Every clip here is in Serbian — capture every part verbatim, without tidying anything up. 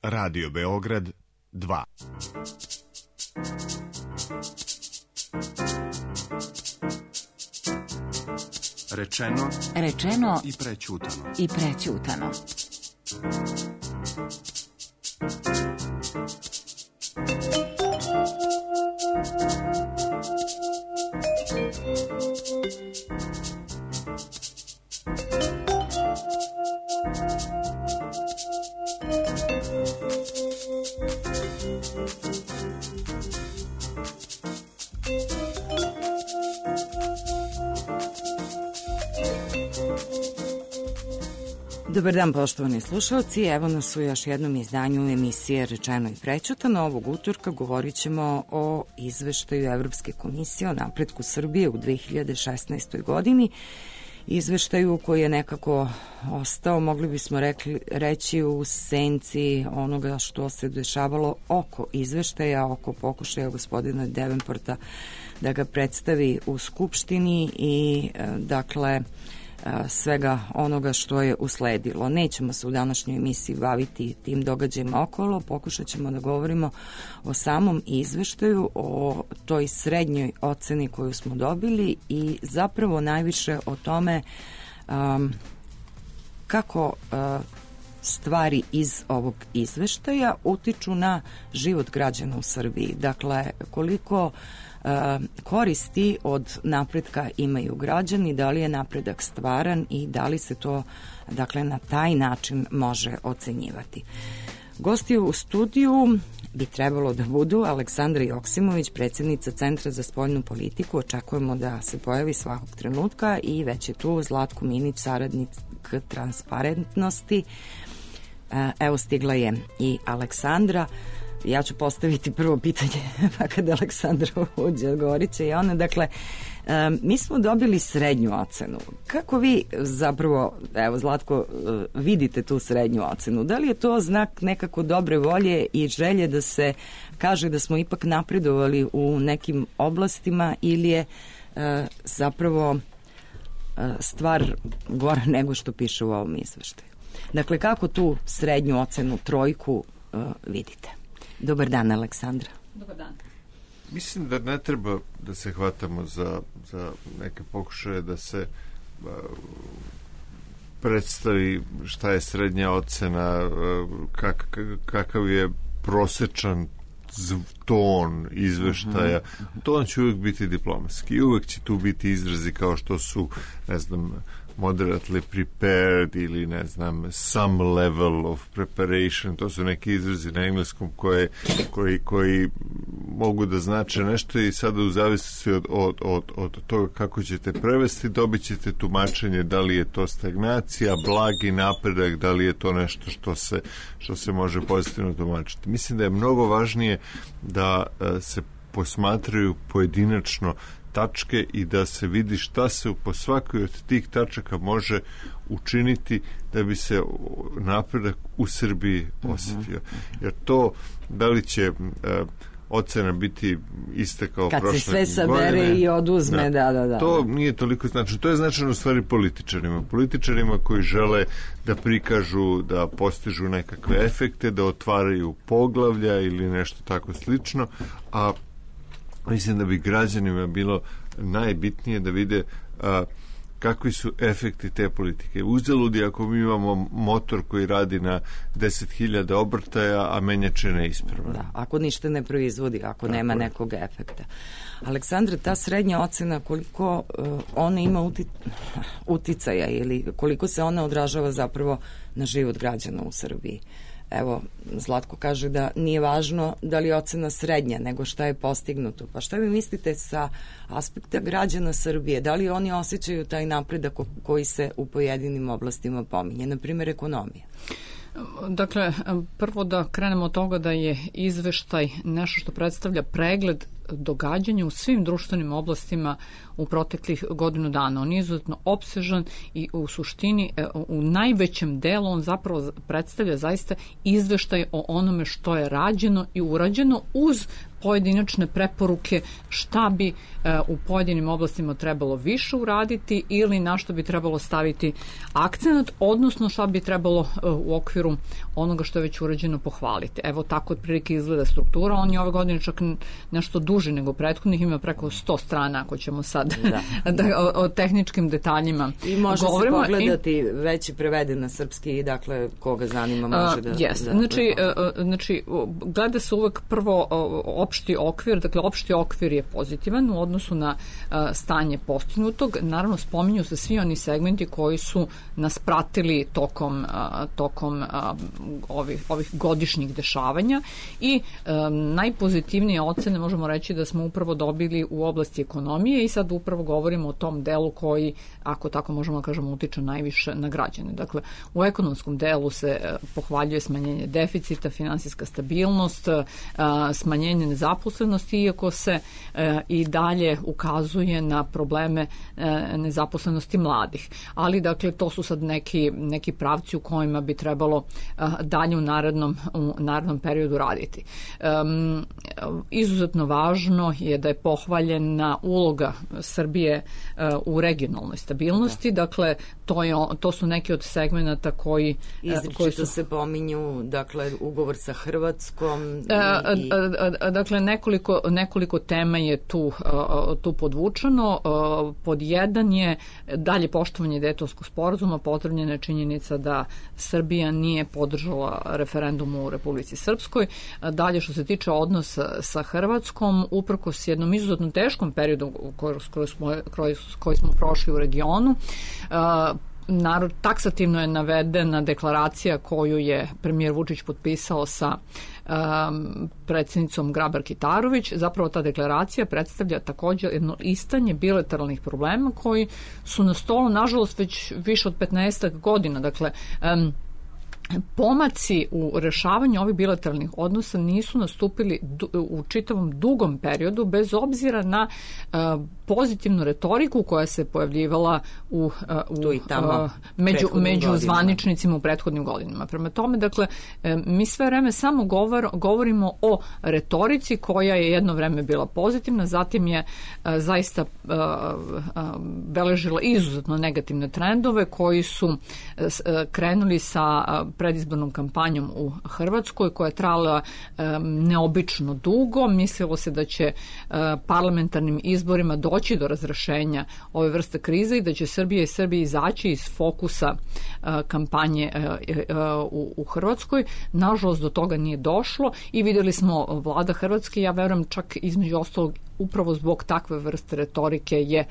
Radio Beograd dva. Rečeno, rečeno i prećutano. I prećutano. Dobar dan, poštovani slušalci, evo nas u još jednom izdanju emisije Rečeno i prećutano. Ovog utorka govorit ćemo o izveštaju Evropske komisije o napretku Srbije u dve hiljade šesnaestoj. godini, izveštaju koji je nekako ostao, mogli bismo rekli, reći, u senci onoga što se dešavalo oko izveštaja, oko pokušaja gospodina Devenporta da ga predstavi u Skupštini i dakle svega onoga što je usledilo. Nećemo se u današnjoj emisiji baviti tim događajima okolo, pokušat ćemo da govorimo o samom izveštaju, o toj srednjoj oceni koju smo dobili i zapravo najviše o tome um, kako uh, stvari iz ovog izveštaja utiču na život građana u Srbiji. Dakle, koliko koristi od napretka imaju građani, da li je napredak stvaran i da li se to, dakle, na taj način može ocenjivati. Gosti u studiju bi trebalo da budu Aleksandra Joksimović, predsjednica Centra za spoljnu politiku. Očekujemo da se pojavi svakog trenutka i već je tu Zlatko Minić, saradnik transparentnosti. Evo, stigla je i Aleksandra. Ja ću postaviti prvo pitanje, pa kada Aleksandra uđe, odgovorit će i ona. Dakle, um, mi smo dobili srednju ocenu. Kako vi zapravo, evo Zlatko, vidite tu srednju ocenu? Da li je to znak nekako dobre volje i želje da se kaže da smo ipak napredovali u nekim oblastima ili je uh, zapravo uh, stvar gora nego što piše u ovom izveštaju? Dakle, kako tu srednju ocenu, trojku, uh, vidite? Dobar dan, Aleksandra. Dobar dan. Mislim da ne treba da se hvatamo za, za neke pokušaje da se uh, predstavi šta je srednja ocena, uh, kak, kakav je prosečan ton izveštaja. Uh-huh. Ton će uvijek biti diplomatski i uvijek će tu biti izrazi kao što su, ne znam, moderately prepared ili ne znam some level of preparation, to su neki izrazi na engleskom koje, koji, koji mogu da znače nešto i sada u zavisnosti od, od, od, od toga kako ćete prevesti dobit ćete tumačenje da li je to stagnacija, blagi napredak, da li je to nešto što se, što se može pozitivno tumačiti. Mislim da je mnogo važnije da se posmatraju pojedinačno tačke i da se vidi šta se po svakoj od tih tačaka može učiniti da bi se napredak u Srbiji osjetio. Jer to, da li će uh, ocena biti ista kao kad prošle godine... Kad se sve sabere godine, i oduzme, da, da, da. To nije toliko značajno. To je značajno u stvari političarima. Političarima koji žele da prikažu, da postižu nekakve efekte, da otvaraju poglavlja ili nešto tako slično, a mislim da bi građanima bilo najbitnije da vide a, kakvi su efekti te politike. Uzaludi ako mi imamo motor koji radi na deset hiljada obrtaja, a menjače neispravno. Da, ako ništa ne proizvodi, ako tako nema je. Nekog efekta. Aleksandra, ta srednja ocena, koliko uh, ona ima uti, uticaja ili koliko se ona odražava zapravo na život građana u Srbiji? Evo, Zlatko kaže da nije važno da li je ocena srednja, nego šta je postignuto. Pa šta vi mislite sa aspekta građana Srbije? Da li oni osjećaju taj napredak koji se u pojedinim oblastima pominje, na primjer ekonomija? Dakle, prvo da krenemo od toga da je izveštaj nešto što predstavlja pregled događanja u svim društvenim oblastima u proteklih godinu dana. On je izuzetno opsežan i u suštini u najvećem delu on zapravo predstavlja zaista izveštaj o onome što je rađeno i urađeno uz pojedinačne preporuke šta bi u pojedinim oblastima trebalo više uraditi ili na što bi trebalo staviti akcenat, odnosno šta bi trebalo u okviru onoga što je već urađeno pohvaliti. Evo tako otprilike izgleda struktura. On je ove godine čak nešto duži nego prethodnih, ima preko sto strana ako ćemo sad da. da, o, o tehničkim detaljima i može govorimo. Se pogledati i, već je preveden na srpski i dakle koga zanima može da... Uh, yes. da znači, uh, znači gleda se uvek prvo uh, opšti okvir, dakle opšti okvir je pozitivan u odnosu na uh, stanje postignutog. Naravno spominju se svi oni segmenti koji su nas pratili tokom, uh, tokom uh, ovih, ovih godišnjih dešavanja i um, najpozitivnije ocene možemo reći da smo upravo dobili u oblasti ekonomije i sad upravo govorimo o tom delu koji, ako tako možemo da kažemo, utiče najviše na građane. Dakle, u ekonomskom delu se uh, pohvaljuje smanjenje deficita, finansijska stabilnost, uh, smanjenje nezaposlenosti, iako se uh, i dalje ukazuje na probleme uh, nezaposlenosti mladih. Ali, dakle, to su sad neki, neki pravci u kojima bi trebalo uh, dalje u narednom, u narednom periodu raditi. Um, izuzetno važno je da je pohvaljena uloga Srbije uh, u regionalnoj stabilnosti, da. Dakle, to, je, to su neki od segmenata koji... Izričito koji su... se pominju, dakle, ugovor sa Hrvatskom... I, i... Dakle, nekoliko, nekoliko tema je tu, tu podvučeno. Pod jedan je dalje poštovanje Dejtonskog sporazuma, potvrđena je činjenica da Srbija nije podržala referendum u Republici Srpskoj. Dalje, što se tiče odnosa sa Hrvatskom, uprkos jednom izuzetno teškom periodu koji smo, koji smo prošli u regionu, narod, taksativno je navedena deklaracija koju je premijer Vučić potpisao sa um, predsjednicom Grabar-Kitarović. Zapravo ta deklaracija predstavlja također jedno listanje bilateralnih problema koji su na stolu, nažalost, već više od petnaestak godina. Dakle, um, pomaci u rešavanju ovih bilateralnih odnosa nisu nastupili u čitavom dugom periodu, bez obzira na uh, pozitivnu retoriku koja se pojavljivala u, uh, u, tamo, uh, među, među zvaničnicima u prethodnim godinama. Prema tome, dakle, mi sve vreme samo govor, govorimo o retorici koja je jedno vreme bila pozitivna, zatim je uh, zaista uh, uh, beležila izuzetno negativne trendove koji su uh, krenuli sa uh, predizbornom kampanjom u Hrvatskoj koja je trajala um, neobično dugo. Mislilo se da će uh, parlamentarnim izborima doći do razrešenja ove vrste krize i da će Srbija i Srbija izaći iz fokusa uh, kampanje uh, uh, u, u Hrvatskoj. Nažalost, do toga nije došlo i vidjeli smo vlada Hrvatske, ja verujem čak između ostalog upravo zbog takve vrste retorike je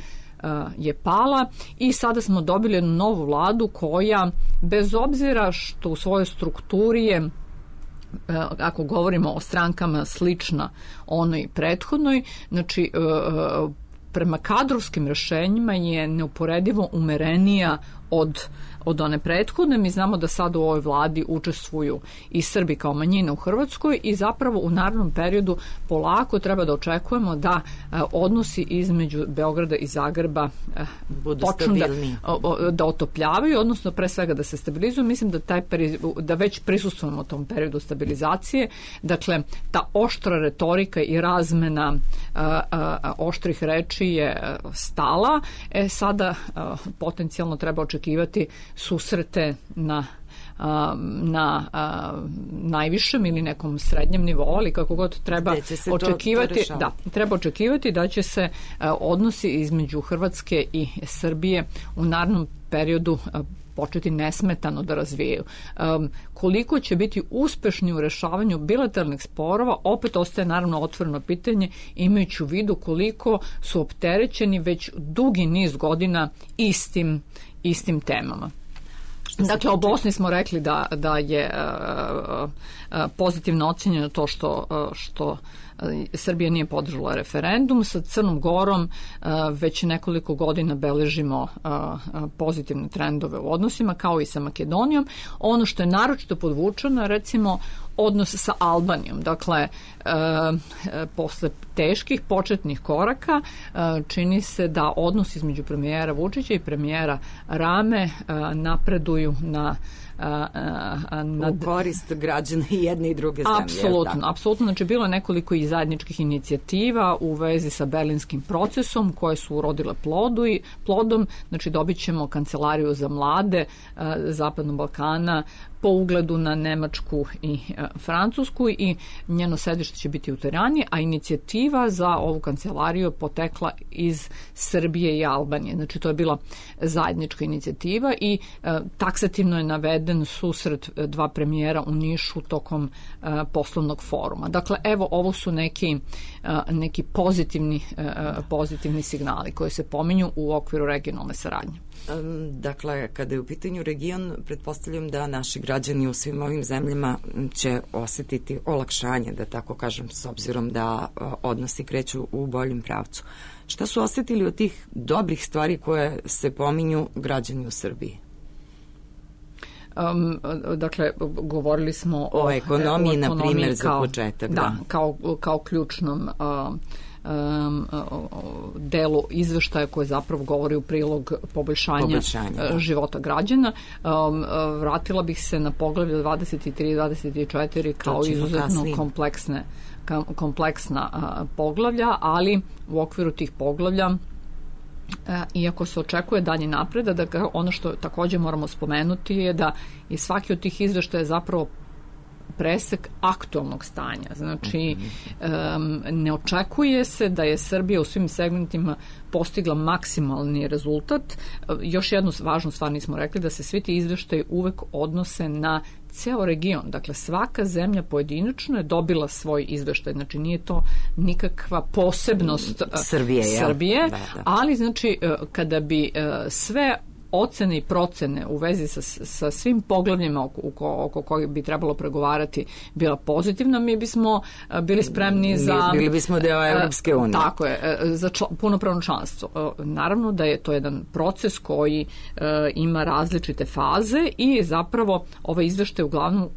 je pala i sada smo dobili jednu novu vladu koja, bez obzira što u svojoj strukturi je, ako govorimo o strankama, slična onoj prethodnoj, znači prema kadrovskim rešenjima je neuporedivo umerenija od od one prethodne. Mi znamo da sad u ovoj vladi učestvuju i Srbi kao manjina u Hrvatskoj i zapravo u narednom periodu polako treba da očekujemo da uh, odnosi između Beograda i Zagreba uh, počnu da, uh, da otopljavaju, odnosno pre svega da se stabilizuju. Mislim da, taj peri, da već prisustvujemo tom periodu stabilizacije. Dakle, ta oštra retorika i razmena uh, uh, oštrih reči je stala. E, sada uh, potencijalno treba očekivati susrete na na a, najvišem ili nekom srednjem nivou, ali kako god treba očekivati, to, to da, treba očekivati da će se a, odnosi između Hrvatske i Srbije u narednom periodu a, početi nesmetano da razvijaju. Um, koliko će biti uspešni u rešavanju bilateralnih sporova, opet ostaje naravno otvoreno pitanje, imajući u vidu koliko su opterećeni već dugi niz godina istim, istim temama. Dakle, o Bosni smo rekli da, da je uh, uh, pozitivno ocenjeno to što, uh, što Srbija nije podržala referendum. Sa Crnom Gorom uh, već nekoliko godina beležimo uh, pozitivne trendove u odnosima, kao i sa Makedonijom. Ono što je naročito podvučeno, recimo, odnos sa Albanijom. Dakle, e, posle teških početnih koraka e, čini se da odnos između premijera Vučića i premijera Rame e, napreduju na nad... u korist građana i jedne i druge zemlje. Apsolutno, apsolutno. Znači, bilo je nekoliko i zajedničkih inicijativa u vezi sa berlinskim procesom koje su urodile plodu i plodom. Znači, dobit ćemo kancelariju za mlade Zapadnog Balkana po ugledu na Nemačku i e, Francusku i njeno sedište će biti u Tirani, a inicijativa za ovu kancelariju je potekla iz Srbije i Albanije. Znači, to je bila zajednička inicijativa i e, taksativno je naveden susret dva premijera u Nišu tokom e, poslovnog foruma. Dakle, evo, ovo su neki, e, neki pozitivni, e, pozitivni signali koji se pominju u okviru regionalne saradnje. Dakle, kada je u pitanju region, pretpostavljam da naši građani u svim ovim zemljama će osetiti olakšanje, da tako kažem, s obzirom da odnosi kreću u boljem pravcu. Šta su osetili od tih dobrih stvari koje se pominju građani u Srbiji? Um, dakle, govorili smo o, o ekonomiji, o na primjer, za početak. Da, da kao, kao ključnom uh, Um, delu izveštaja koje zapravo govori u prilog poboljšanja, poboljšanja života građana. Um, vratila bih se na poglavlje dvadeset tri i dvadeset četiri kao izuzetno kompleksne, kompleksna uh, poglavlja, ali u okviru tih poglavlja iako se očekuje dalje napredak, da ono što također moramo spomenuti je da je svaki od tih izveštaja zapravo presek aktualnog stanja. Znači, um, ne očekuje se da je Srbija u svim segmentima postigla maksimalni rezultat. Još jednu važnu stvar nismo rekli, da se svi ti izveštaji uvek odnose na ceo region. Dakle, svaka zemlja pojedinačno je dobila svoj izveštaj. Znači, nije to nikakva posebnost Srbije, Srbije da, da. Ali, znači, kada bi sve ocene i procene u vezi sa, sa svim poglavljima oko, oko, oko kojih bi trebalo pregovarati bila pozitivna, mi bismo bili spremni za... Bili bismo deo Evropske unije. Tako je, za čl, punopravno članstvo. Naravno da je to jedan proces koji e, ima različite faze i zapravo ovaj izveštaj uglavnom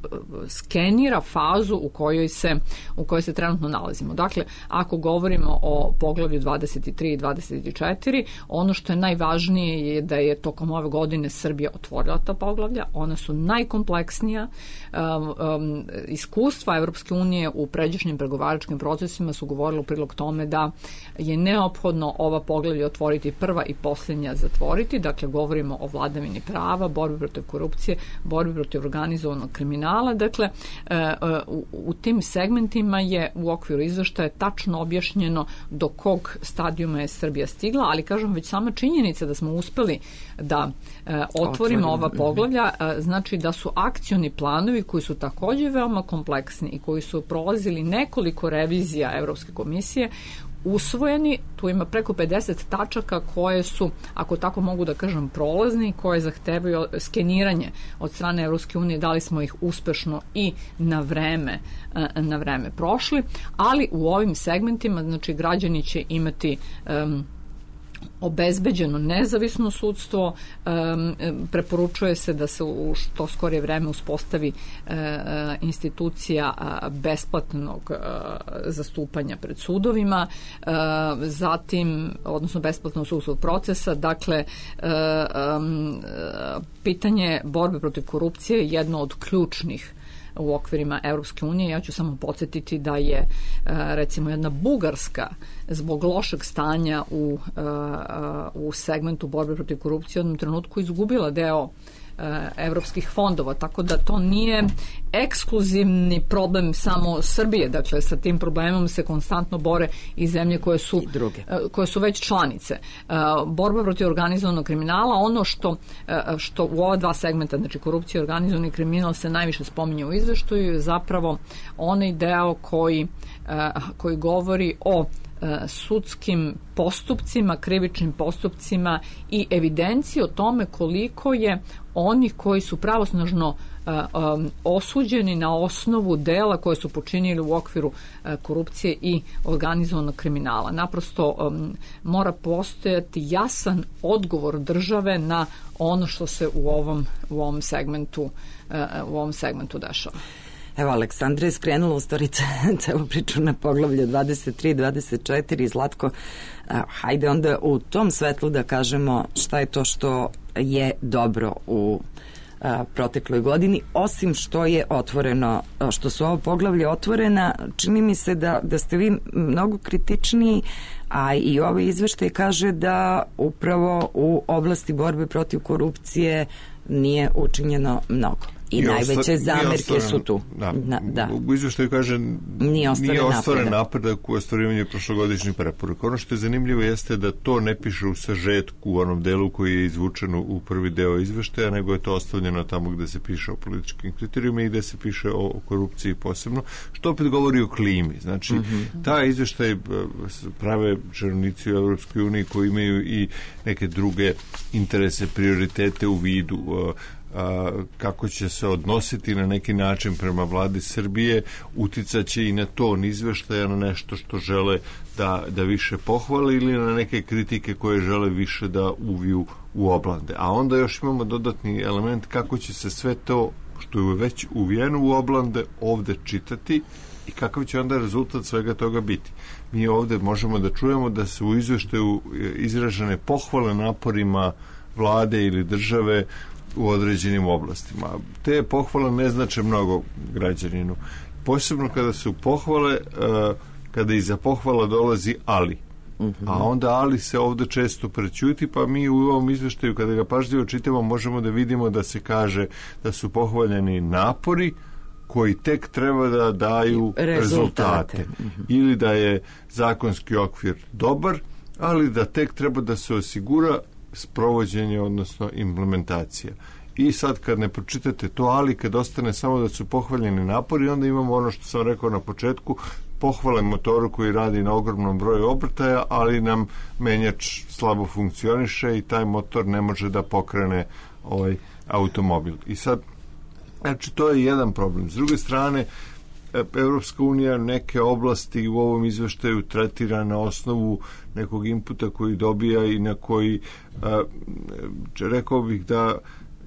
skenira fazu u kojoj se, u kojoj se trenutno nalazimo. Dakle, ako govorimo o poglavlju dvadeset tri i dvadeset četiri, ono što je najvažnije je da je to ove godine Srbija otvorila ta poglavlja, ona su najkompleksnija. Um, um, iskustva Evropske unije u pređašnjim pregovaračkim procesima su govorili u prilog tome da je neophodno ova poglavlja otvoriti prva i posljednja zatvoriti. Dakle, govorimo o vladavini prava, borbi protiv korupcije, borbi protiv organizovanog kriminala. Dakle, uh, u, u tim segmentima je u okviru izveštaja tačno objašnjeno do kog stadijuma je Srbija stigla, ali kažem, već sama činjenica da smo uspeli da da e, otvorimo ova poglavlja, e, znači da su akcioni planovi koji su također veoma kompleksni i koji su prolazili nekoliko revizija Evropske komisije usvojeni. Tu ima preko pedeset tačaka koje su, ako tako mogu da kažem, prolazni, koje zahtevaju skeniranje od strane Evropske unije, da li smo ih uspešno i na vreme, na vreme prošli, ali u ovim segmentima, znači, građani će imati um, obezbeđeno nezavisno sudstvo, um, preporučuje se da se u što skorije vreme uspostavi uh, institucija uh, besplatnog uh, zastupanja pred sudovima, uh, zatim, odnosno besplatnog sudskog procesa. Dakle, uh, um, pitanje borbe protiv korupcije je jedno od ključnih u okvirima Evropske unije. Ja ću samo podsjetiti da je recimo jedna Bugarska zbog lošeg stanja u, u segmentu borbe protiv korupcije u jednom trenutku izgubila deo evropskih fondova, tako da to nije ekskluzivni problem samo Srbije. Dakle, sa tim problemom se konstantno bore i zemlje koje su, koje su već članice. Borba protiv organizovanog kriminala, ono što, što u ova dva segmenta, znači korupcija i organizovani kriminal, se najviše spominje u izveštaju, je zapravo onaj deo koji, koji govori o sudskim postupcima, krivičnim postupcima i evidenciji o tome koliko je onih koji su pravosnažno uh, um, osuđeni na osnovu dela koje su počinili u okviru uh, korupcije i organizovanog kriminala. Naprosto um, mora postojati jasan odgovor države na ono što se u ovom, u ovom segmentu uh, u ovom segmentu dešava. Evo, Aleksandra je skrenula u stvari celu priču na poglavlje dvadeset tri dvadeset četiri. Zlatko, hajde onda u tom svetlu da kažemo šta je to što je dobro u a, protekloj godini, osim što je otvoreno, što su ovo poglavlje otvorena, čini mi se da, da ste vi mnogo kritičniji, a i ovaj izveštaj kaže da upravo u oblasti borbe protiv korupcije nije učinjeno mnogo. I, I najveće zamerke su tu. Da, Na, da. U izveštaju kaže nije ostvaren, nije ostvaren napredak. napredak u ostvarivanju prošlogodišnjih preporuka. Ono što je zanimljivo jeste da to ne piše u sažetku u onom delu koji je izvučen u prvi deo izveštaja, nego je to ostavljeno tamo gde se piše o političkim kriterijima i gde se piše o, o korupciji posebno, što opet govori o klimi. Znači, mm-hmm. ta izveštaj prave činovnici u Evropskoj uniji koji imaju i neke druge interese, prioritete u vidu, a, kako će se odnositi na neki način prema vladi Srbije, uticaće i na ton izveštaja, na nešto što žele da, da više pohvale ili na neke kritike koje žele više da uviju u oblande. A onda još imamo dodatni element kako će se sve to što je već uvijeno u oblande ovde čitati i kakav će onda rezultat svega toga biti. Mi ovde možemo da čujemo da su u izveštaju izražene pohvale naporima vlade ili države u određenim oblastima. Te pohvale ne znače mnogo građaninu. Posebno kada su pohvale, kada iza pohvala dolazi ali. Uh-huh. A onda ali se ovde često prećuti, pa mi u ovom izveštaju kada ga pažljivo čitamo možemo da vidimo da se kaže da su pohvaljeni napori koji tek treba da daju rezultate. rezultate. Uh-huh. Ili da je zakonski okvir dobar, ali da tek treba da se osigura sprovođenje, odnosno implementacija. I sad kad ne pročitate to, ali kad ostane samo da su pohvaljeni napori, onda imamo ono što sam rekao na početku, pohvale motoru koji radi na ogromnom broju obrtaja, ali nam menjač slabo funkcioniše i taj motor ne može da pokrene ovaj automobil. I sad, znači, to je jedan problem. S druge strane, Evropska unija neke oblasti u ovom izveštaju tretira na osnovu nekog inputa koji dobija i na koji a, rekao bih da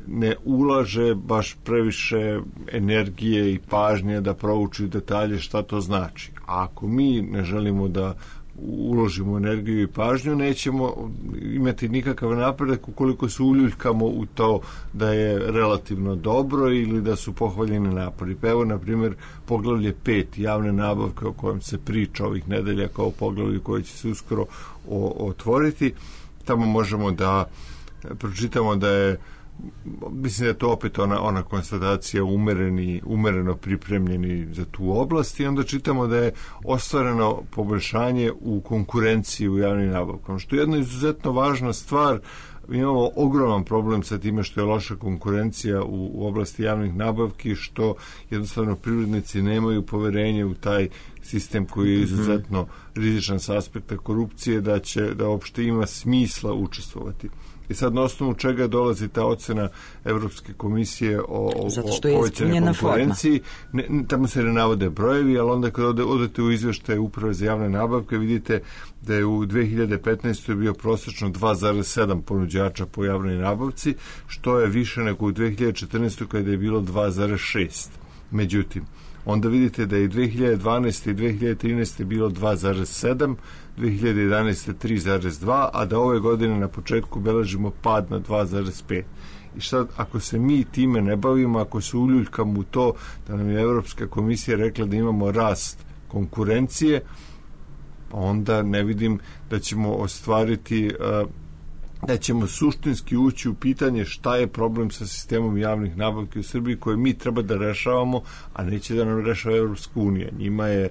ne ulaže baš previše energije i pažnje da prouči detalje šta to znači. A ako mi ne želimo da uložimo energiju i pažnju, nećemo imati nikakav napredak ukoliko se uljuljkamo u to da je relativno dobro ili da su pohvaljeni napori. Pa evo, na primjer, poglavlje pet, javne nabavke o kojem se priča ovih nedelja kao poglavlje koje će se uskoro o, otvoriti. Tamo možemo da pročitamo da je, mislim da je to opet ona, ona konstatacija umereni, umereno pripremljeni za tu oblast i onda čitamo da je ostvareno poboljšanje u konkurenciji u javnim nabavkama, što je jedna izuzetno važna stvar. Mi imamo ogroman problem sa time što je loša konkurencija u, u oblasti javnih nabavki, što jednostavno privrednici nemaju poverenje u taj sistem koji je izuzetno rizičan sa aspekta korupcije, da će da uopšte ima smisla učestvovati. I sad na osnovu čega dolazi ta ocena Evropske komisije o, o povećanoj konkurenciji. Ne, tamo se ne navode brojevi, ali onda kad ode, odete u izveštaje Uprave za javne nabavke vidite da je u dve hiljade petnaestoj bio prosečno dva zarez sedam ponuđača po javnoj nabavci, što je više nego u dve hiljade četrnaestoj kada je bilo dva zarez šest. Međutim, onda vidite da je i dve hiljade dvanaeste i dve hiljade trinaeste bilo dva zarez sedam, dve hiljade jedanaeste tri zarez dva, a da ove godine na početku beležimo pad na dva zarez pet. I šta, ako se mi time ne bavimo, ako se uljuljkamo u to da nam je Evropska komisija rekla da imamo rast konkurencije, onda ne vidim da ćemo ostvariti, da ćemo suštinski ući u pitanje šta je problem sa sistemom javnih nabavki u Srbiji koje mi treba da rešavamo, a neće da nam rešava Evropska unija. Njima je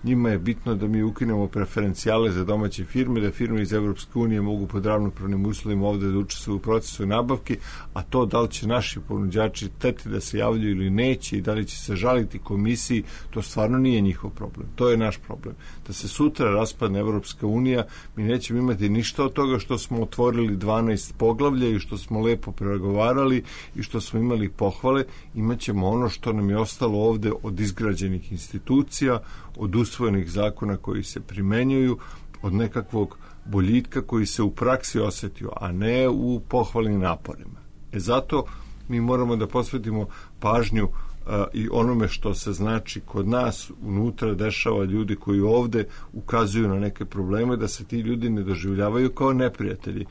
njima je bitno da mi ukinemo preferencijale za domaće firme, da firme iz Evropske unije mogu pod ravnopravnim uslovima ovde da učestvuju u procesu nabavki, a to da li će naši ponuđači teti da se javljaju ili neće i da li će se žaliti komisiji, to stvarno nije njihov problem. To je naš problem. Da se sutra raspadne Evropska unija, mi nećemo imati ništa od toga što smo otvorili dvanaest poglavlja i što smo lepo pregovarali i što smo imali pohvale, imaćemo ono što nam je ostalo ovde od izgrađenih institucija, od usvojenih zakona koji se primenjuju, od nekakvog boljitka koji se u praksi osetio, a ne u pohvalnim naporima. E zato mi moramo da posvetimo pažnju a, i onome što se znači kod nas unutra dešava, ljudi koji ovde ukazuju na neke probleme, da se ti ljudi ne doživljavaju kao neprijatelji.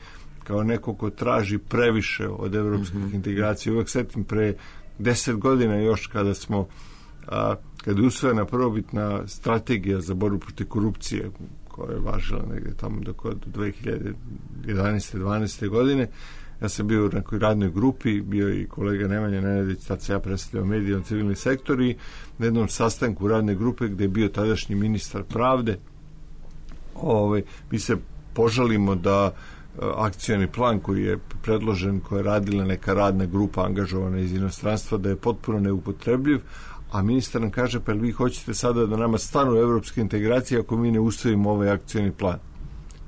kao neko ko traži previše od evropskih mm-hmm. integracija. Uvek setim pre deset godina još kada smo a, kada je usvojena prvobitna strategija za borbu protiv korupcije koja je važila negde tamo do, do dve hiljade jedanaeste dvanaeste godine. Ja sam bio u nekoj radnoj grupi, bio i kolega Nemanja Nenadić, tad se ja predstavljao medijom civilni sektor i na jednom sastanku radne grupe gde je bio tadašnji ministar pravde. Ovaj, mi se požalimo da akcioni plan koji je predložen, koja je radila neka radna grupa angažovana iz inostranstva, da je potpuno neupotrebljiv, a ministar nam kaže, pa vi hoćete sada da nama stanu evropske integracije ako mi ne usvojimo ovaj akcioni plan.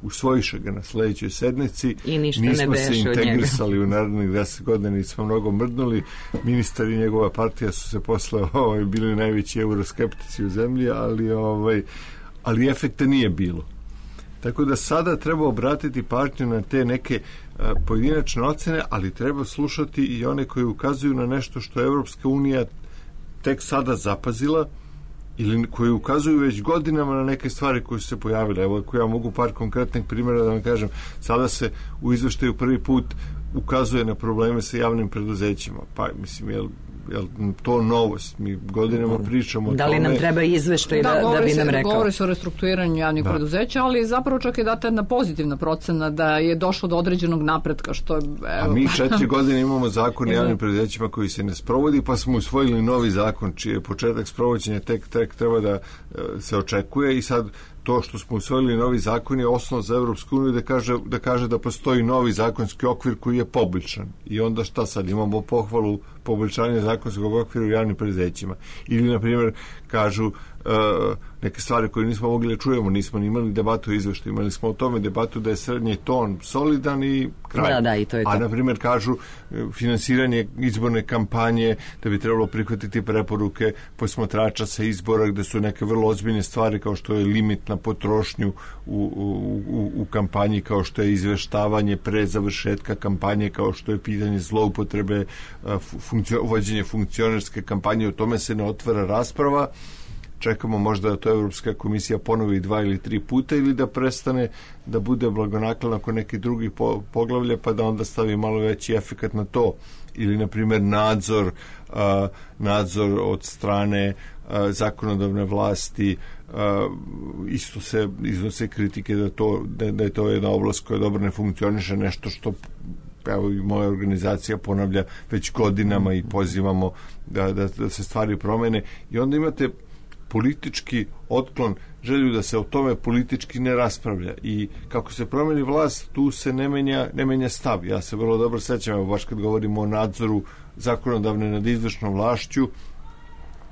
Usvojiše ga na sledećoj sednici, i ništa nismo ne se integrisali u narednih deset godina, nismo mnogo mrdnuli, ministar i njegova partija su se posle ovaj, bili najveći euroskeptici u zemlji, ali, ovaj, ali efekta nije bilo. Tako da sada treba obratiti pažnju na te neke a, pojedinačne ocene, ali treba slušati i one koji ukazuju na nešto što Evropska unija tek sada zapazila ili koji ukazuju već godinama na neke stvari koje su se pojavile. Evo, ako ja mogu par konkretnih primjera da vam kažem, sada se u izveštaju prvi put ukazuje na probleme sa javnim preduzećima. Pa, mislim, je jel to novost? Mi godinama pričamo o da li tome. Nam treba izveštaj da, da, da bi se, nam rekao? Govori se o restrukturiranju javnih da. preduzeća, ali zapravo čak je data jedna pozitivna procena da je došlo do određenog napretka. Što je, evo. A mi četiri godine imamo zakon o javnim preduzećima koji se ne sprovodi, pa smo usvojili novi zakon čiji je početak sprovođenja tek, tek treba da se očekuje i sad to što smo usvojili novi zakon je osnov za Evropsku uniju da kaže, da kaže da postoji novi zakonski okvir koji je poboljšan. I onda šta sad? Imamo pohvalu poboljšanja zakonskog okvira u javnim preduzećima. Ili, na primjer, kažu uh, neke stvari koje nismo mogli da čujemo, nismo ni imali debatu o izveštaju, imali smo o tome debatu da je srednji ton solidan i kraj. Da, da, i to je to. A, na primjer, kažu finansiranje izborne kampanje, da bi trebalo prihvatiti preporuke posmatrača sa izbora, gde su neke vrlo ozbiljne stvari kao što je limit na potrošnju u, u, u, u kampanji, kao što je izveštavanje pre završetka kampanje, kao što je pitanje zloupotrebe, funkcio, vođenje funkcionerske kampanje, o tome se ne otvara rasprava. Čekamo možda da to Evropska komisija ponovi dva ili tri puta ili da prestane da bude blagonaklona oko nekih drugih po, poglavlja pa da onda stavi malo veći efekat na to. Ili, na primjer, nadzor, a, nadzor od strane a, zakonodavne vlasti. A, isto se iznose kritike da, to, da, da je to jedna oblast koja dobro ne funkcioniše, nešto što evo i moja organizacija ponavlja već godinama i pozivamo da, da, da se stvari promene. I onda imate politički otklon, želju da se o tome politički ne raspravlja i kako se promeni vlast, tu se ne menja, ne menja stav. Ja se vrlo dobro sećam, evo baš kad govorimo o nadzoru zakonodavne nad izvršnom vlašću,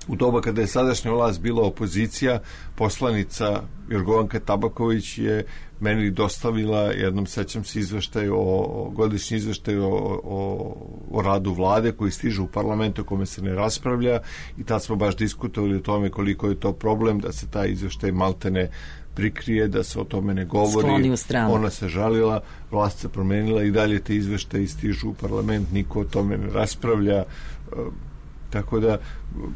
u doba kada je sadašnja vlast bila opozicija, poslanica Jorgovanka Tabaković je meni dostavila, jednom sećam se, izveštaj o, o godišnji izveštaj o, o, o radu vlade koji stiže u parlamentu, kome se ne raspravlja, i tad smo baš diskutovali o tome koliko je to problem da se taj izveštaj maltene prikrije, da se o tome ne govori. Ona se žalila, vlast se promenila i dalje te izveštaje stižu u parlament, niko o tome ne raspravlja. Tako da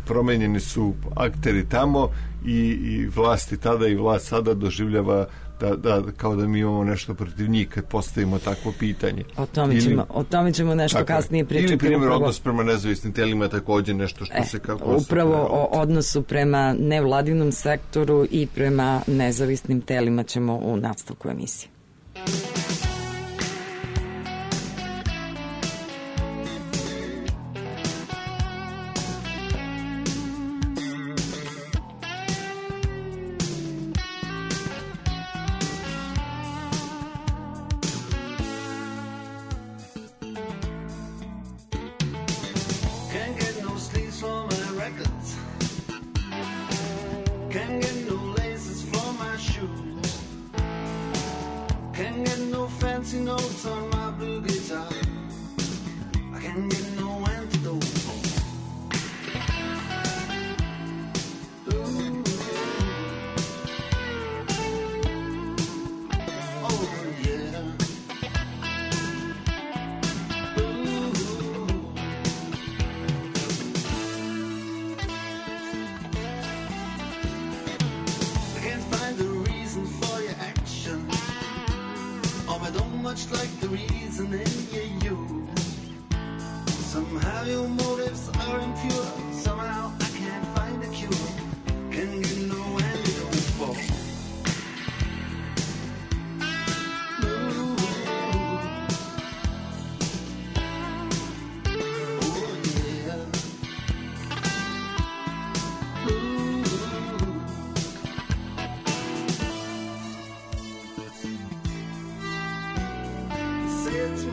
promenjeni su akteri tamo i, i vlasti tada i vlast sada doživljava da, da, kao da mi imamo nešto protiv njih kad postavimo takvo pitanje. O tome, ili, ćemo, o tome ćemo nešto tako, kasnije pričati. Ili primjer upravo, odnos prema nezavisnim telima je također nešto što e, se kako... Upravo o odnosu prema nevladinom sektoru i prema nezavisnim telima ćemo u nastavku emisije. Much like the reason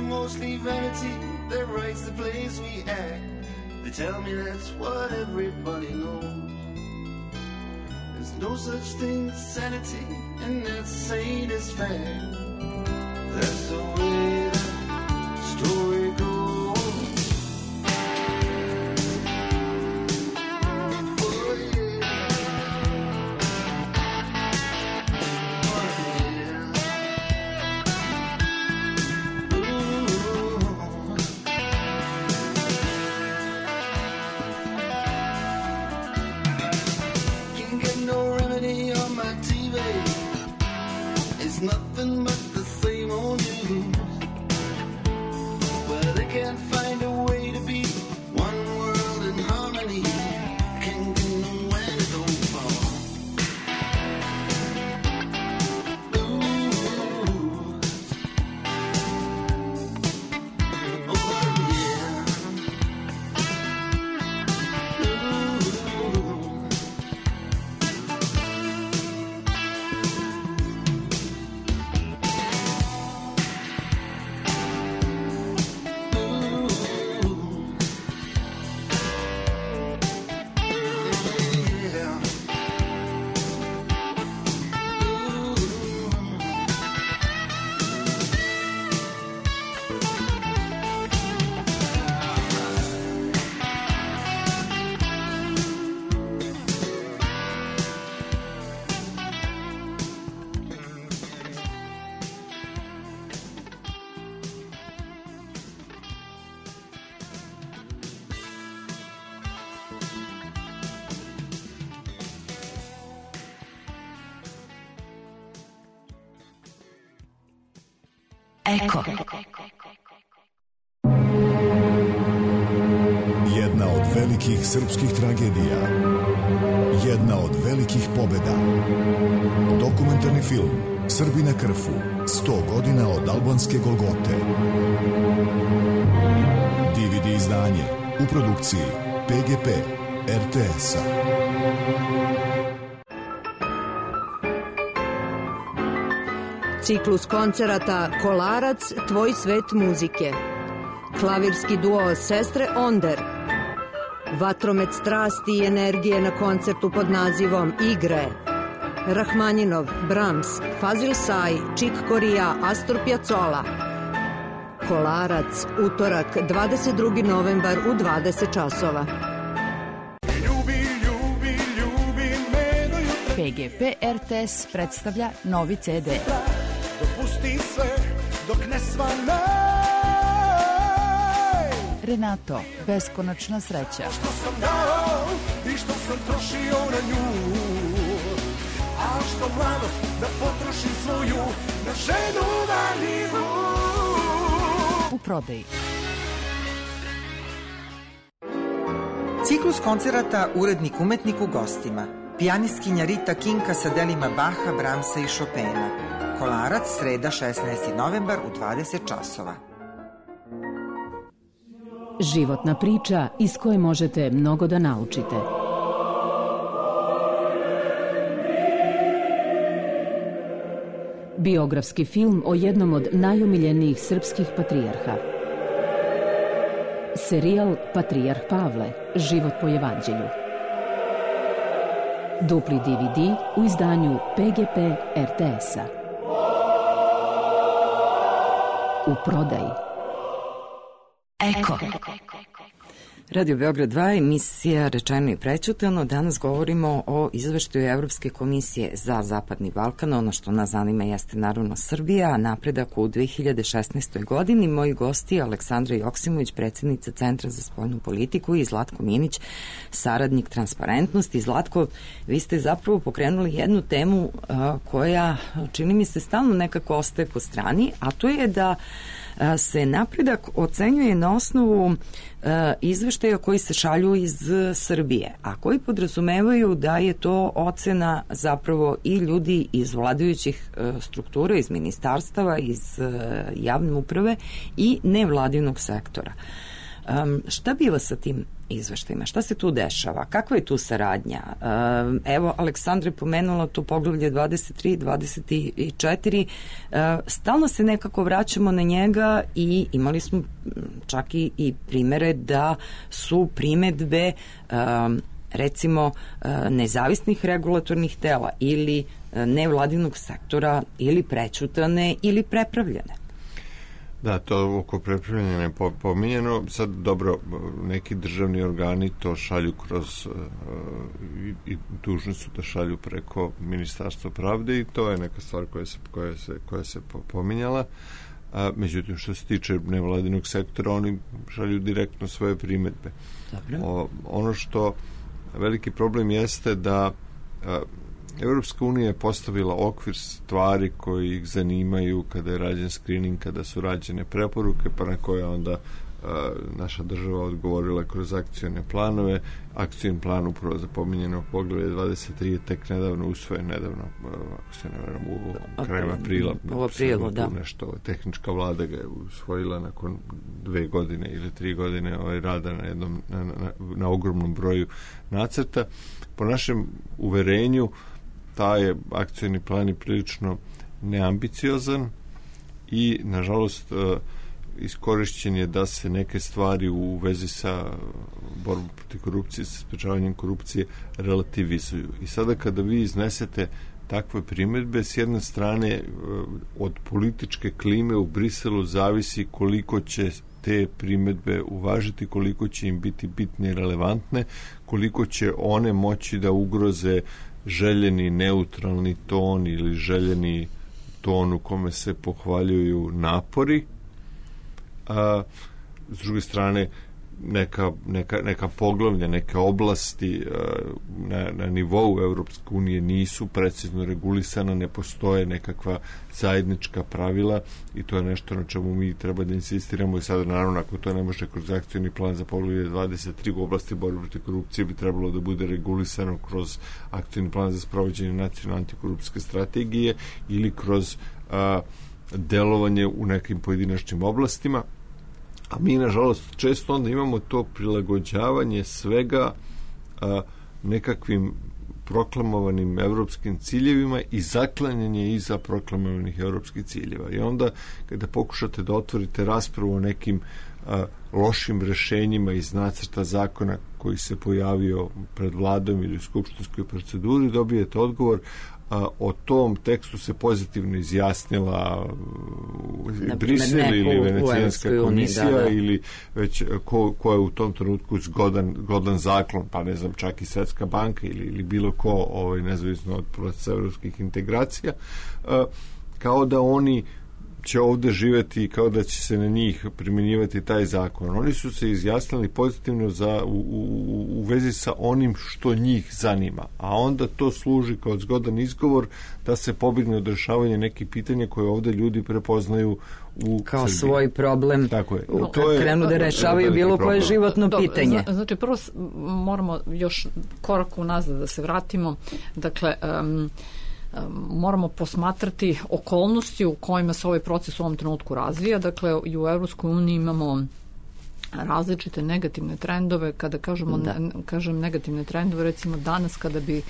mostly vanity that writes the plays we act. They tell me that's what everybody knows. There's no such thing as sanity, and that's saying it's fact. That's the way the story goes. Nothing but the same old news. Well, they can't find a way to be one world in harmony. Can't get nowhere to go far. Ooh. Oh, yeah. Ooh. Eko. Jedna od velikih srpskih tragedija. Jedna od velikih pobeda. Dokumentarni film Srbi na Krfu. sto godina od albanske Golgote. D V D izdanje u produkciji P G P R T S-a. Ciklus koncerata Kolarac, tvoj svet muzike. Klavirski duo Sestre Onder. Vatromet strasti i energije na koncertu pod nazivom Igre. Rahmaninov, Brahms, Fazil Say, Čik Korija, Astor Piazzolla. Kolarac, utorak, dvadeset drugi novembar u dvadeset časova. P G P R T S predstavlja novi C D. Dopusti sve dok ne svane. Renato, beskonačna sreća. Što sam dao i što sam trošio na nju, a što mladost da potrošim svoju na ženu valjivu. U prodaji. Ciklus koncerata Urednik umetnik u gostima. Pijanistkinja Rita Kinka sa delima Baha, Brahmsa i Chopina. Kolarac, sreda šesnaesti novembar u dvadeset časova. Životna priča iz koje možete mnogo da naučite. Biografski film o jednom od najomiljenijih srpskih patrijarha. Serijal Patrijarh Pavle, život po evanđelju. Dupli D V D u izdanju P G P R T S-a. U prodaji. Eko. Radio Beograd dva, emisija Rečeno i prećutano. Danas govorimo o izveštaju Evropske komisije za Zapadni Balkan. Ono što nas zanima jeste naravno Srbija, napredak u dve hiljade šesnaestoj godini. Moji gosti Aleksandra Joksimović, predsjednica Centra za spoljnu politiku, i Zlatko Minić, saradnik Transparentnosti. Zlatko, vi ste zapravo pokrenuli jednu temu a, koja, čini mi se, stalno nekako ostaje po strani, a to je da a, se napredak ocenjuje na osnovu a, izveštaja koji se šalju iz Srbije, a koji podrazumevaju da je to ocena zapravo i ljudi iz vladajućih struktura, iz ministarstava, iz javne uprave i nevladinog sektora. Um, šta biva sa tim izveštajima? Šta se tu dešava? Kakva je tu saradnja? Um, evo, Aleksandra je pomenula tu poglavlje dvadeset tri, dvadeset četiri. Uh, stalno se nekako vraćamo na njega i imali smo čak i, i primere da su primetbe um, recimo nezavisnih regulatornih tela ili nevladinog sektora ili prećutane ili prepravljene. Da, to oko prepravljanja je pominjeno. Sad, dobro, neki državni organi to šalju kroz i, i dužni su da šalju preko Ministarstva pravde i to je neka stvar koja se, koja se, koja se pominjala. A, međutim, što se tiče nevladinog sektora, oni šalju direktno svoje primetbe. O, ono što veliki problem jeste da a, Evropska unija je postavila okvir stvari koji ih zanimaju kada je rađen screening, kada su rađene preporuke, pa na koje onda a, naša država odgovorila kroz akcione planove. Akcion plan upravo za pominjeno poglavlje dvadeset tri je tek nedavno usvojen, nedavno, ako se ne veram, u krajem aprila. U aprilu, da. Nešto, tehnička vlada ga je usvojila nakon dve godine ili tri godine ovaj rada na jednom, na, na, na ogromnom broju nacrta. Po našem uverenju, taj je akcioni plan i prilično neambiciozan i, nažalost, iskorišćen je da se neke stvari u vezi sa borbom protiv korupcije, sa sprečavanjem korupcije relativizuju. I sada kada vi iznesete takve primetbe, s jedne strane od političke klime u Briselu zavisi koliko će te primetbe uvažiti, koliko će im biti bitne i relevantne, koliko će one moći da ugroze željeni neutralni ton ili željeni ton u kome se pohvaljuju napori. A s druge strane, neka, neka, neka poglavlja, neke oblasti na, na nivou Evropske unije nisu precizno regulisana, ne postoje nekakva zajednička pravila i to je nešto na čemu mi treba da insistiramo i sada, naravno, ako to ne može kroz akcioni plan za poglavlje dvadeset tri u oblasti borbe protiv korupcije, bi trebalo da bude regulisano kroz akcioni plan za sprovođenje nacionalne antikorupcijske strategije ili kroz a, delovanje u nekim pojedinačnim oblastima. A mi, nažalost, često onda imamo to prilagođavanje svega a, nekakvim proklamovanim evropskim ciljevima i zaklanjanje iza proklamovanih evropskih ciljeva. I onda, kada pokušate da otvorite raspravu o nekim a, lošim rešenjima iz nacrta zakona koji se pojavio pred vladom ili u skupštinskoj proceduri, dobijete odgovor a, o tom tekstu se pozitivno izjasnila Brisel ili Venecijanska komisija, da, da. Ili već ko, ko je u tom trenutku zgodan, zgodan zaklon, pa ne znam, čak i Svetska banka ili, ili bilo ko, ovaj, nezavisno od procesa evropskih integracija, a, kao da oni će ovde živeti, kao da će se na njih primjenjivati taj zakon. Oni su se izjasnili pozitivno za, u, u, u vezi sa onim što njih zanima, a onda to služi kao zgodan izgovor da se pobegne od rešavanja nekih pitanja koje ovde ljudi prepoznaju u kao Srbiji. Svoj problem, tako je. U, to je, krenu da rešavaju bilo koje životno Do, pitanje. Zna, znači, prvo moramo još korak unazad da se vratimo. Dakle, um, moramo posmatrati okolnosti u kojima se ovaj proces u ovom trenutku razvija. Dakle, i u Evropskoj uniji imamo različite negativne trendove. Kada kažemo, da. ne, kažem negativne trendove, recimo danas kada bi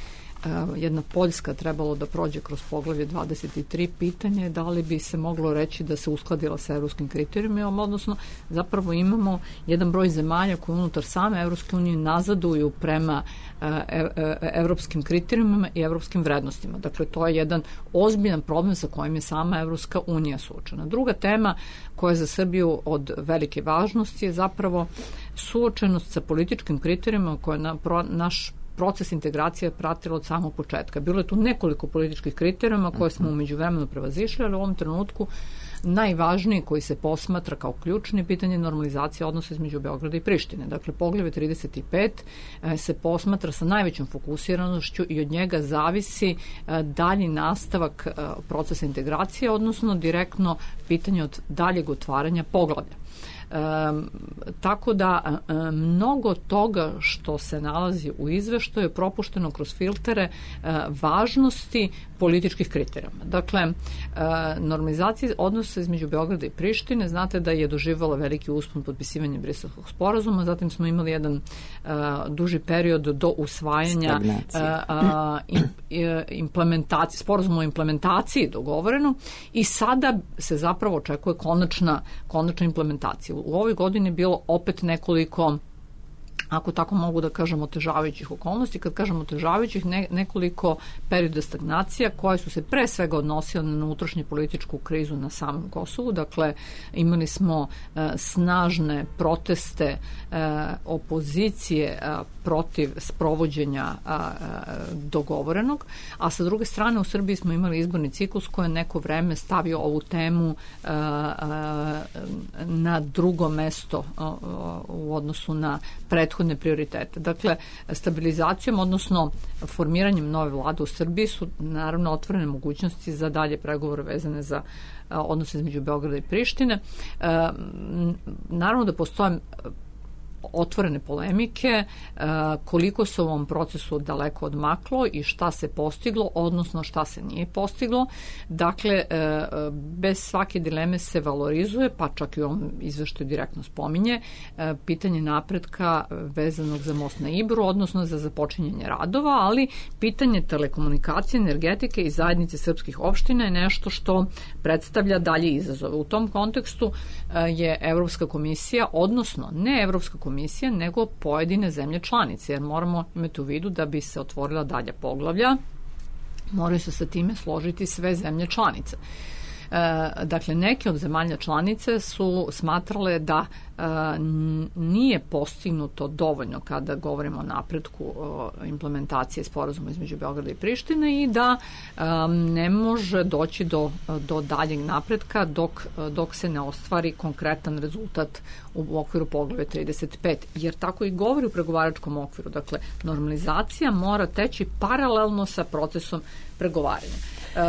jedna Poljska trebalo da prođe kroz poglavlje dvadeset tri, pitanje je da li bi se moglo reći da se uskladila sa evropskim kriterijumima, odnosno zapravo imamo jedan broj zemalja koji unutar same Evropske unije nazaduju prema evropskim kriterijumima i evropskim vrednostima. Dakle, to je jedan ozbiljan problem sa kojim je sama Evropska unija suočena. Druga tema koja je za Srbiju od velike važnosti je zapravo suočenost sa političkim kriterijumima koje na, pro, naš proces integracije pratilo od samog početka. Bilo je tu nekoliko političkih kriterijuma koje smo umeđu vremenu prevazišli, ali u ovom trenutku najvažniji koji se posmatra kao ključni pitanje normalizacije odnosa između Beograda i Prištine. Dakle, poglavlje trideset pet se posmatra sa najvećom fokusiranošću i od njega zavisi dalji nastavak procesa integracije, odnosno direktno pitanje od daljeg otvaranja poglavlja. tako da mnogo toga što se nalazi u izveštaju je propušteno kroz filtere važnosti političkih kriterijuma. Dakle, normalizacija odnosa između Beograda i Prištine, znate da je doživala veliki uspon potpisivanja Briselskog sporazuma, zatim smo imali jedan duži period do usvajanja implementacije, sporazuma o implementaciji dogovoreno i sada se zapravo očekuje konačna, konačna implementacija. U ovoj godini je bilo opet nekoliko, ako tako mogu da kažem, otežavajućih okolnosti. Kad kažem otežavajućih, ne, nekoliko perioda stagnacija koje su se pre svega odnosile na unutrašnju političku krizu na samom Kosovu. Dakle, imali smo e, snažne proteste e, opozicije e, protiv sprovođenja e, dogovorenog, a sa druge strane u Srbiji smo imali izborni ciklus koji je neko vreme stavio ovu temu e, e, na drugo mesto e, u odnosu na prethodne prioritete. Dakle, stabilizacijom, odnosno formiranjem nove vlade u Srbiji su naravno otvorene mogućnosti za dalje pregovore vezane za odnose između Beograda i Prištine. Naravno da postoje otvorene polemike, koliko se u ovom procesu daleko odmaklo i šta se postiglo, odnosno šta se nije postiglo. Dakle, bez svake dileme se valorizuje, pa čak i u ovom izveštaju direktno spominje, pitanje napretka vezanog za most na Ibru, odnosno za započinjanje radova, ali pitanje telekomunikacije, energetike i zajednice srpskih opština je nešto što predstavlja dalje izazove. U tom kontekstu je Evropska komisija, odnosno ne Evropska komisija, komisija, nego pojedine zemlje članice, jer moramo imati u vidu da bi se otvorila dalja poglavlja, moraju se sa time složiti sve zemlje članice. E, dakle, neke od zemalja članice su smatrale da e, nije postignuto dovoljno kada govorimo o napretku o implementacije sporazuma između Beograda i Prištine i da e, ne može doći do, do daljeg napretka dok, dok se ne ostvari konkretan rezultat u okviru poglavlja trideset pet, jer tako i govori u pregovaračkom okviru. Dakle, normalizacija mora teći paralelno sa procesom pregovaranja. E,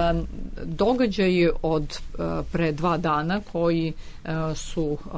događaji od e, pre dva dana koji e, su e,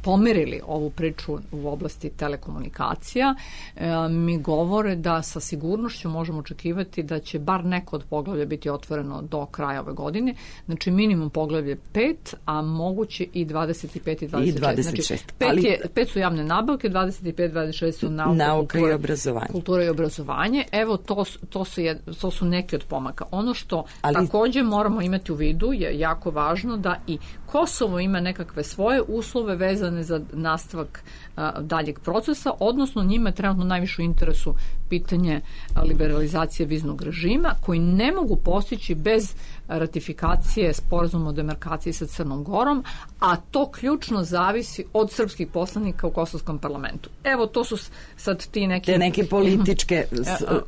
pomerili ovu priču u oblasti telekomunikacija e, mi govore da sa sigurnošću možemo očekivati da će bar neko od poglavlja biti otvoreno do kraja ove godine. Znači minimum poglavlje pet, a moguće i dvadeset pet i dvadeset šest. I dvadeset šest. Znači, pet, ali... je, pet su javne nabavke, dvadeset pet, dvadeset šest su nauka, nauka kultura, i obrazovanje. Kultura i obrazovanje. Evo, to, to, su, jed, to su neki od pomaka. Ono što ali... također moramo imati u vidu je jako važno da i Kosovo ima nekakve svoje uslove vezane za nastavak a, daljeg procesa, odnosno njima je trenutno najviše u interesu pitanje liberalizacije viznog režima, koji ne mogu postići bez ratifikacije sporazuma o demarkaciji sa Crnom Gorom, a to ključno zavisi od srpskih poslanika u kosovskom parlamentu. Evo, to su sad ti neki... Te neke političke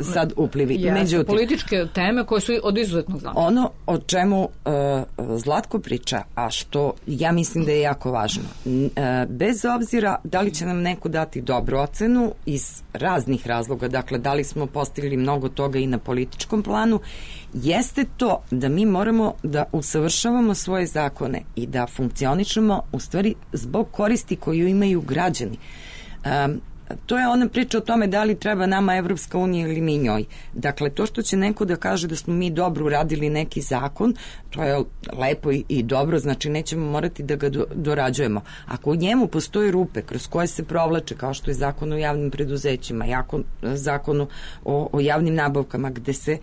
sad uplivi. Yes, međutim, političke teme koje su od izuzetnog značaja. Ono o čemu uh, Zlatko priča, a što ja mislim da je jako važno, uh, bez obzira da li će nam neko dati dobru ocenu iz raznih razloga, dakle, da li smo postigli mnogo toga i na političkom planu, jeste to da mi moramo da usavršavamo svoje zakone i da funkcionišemo u stvari zbog koristi koju imaju građani. Um, to je ona priča o tome da li treba nama Evropska unija ili mi njoj. Dakle, to što će neko da kaže da smo mi dobro uradili neki zakon, to je lepo i, i dobro, znači nećemo morati da ga do, dorađujemo. Ako u njemu postoje rupe kroz koje se provlače, kao što je zakon o javnim preduzećima, jako, zakon o, o javnim nabavkama, gde se,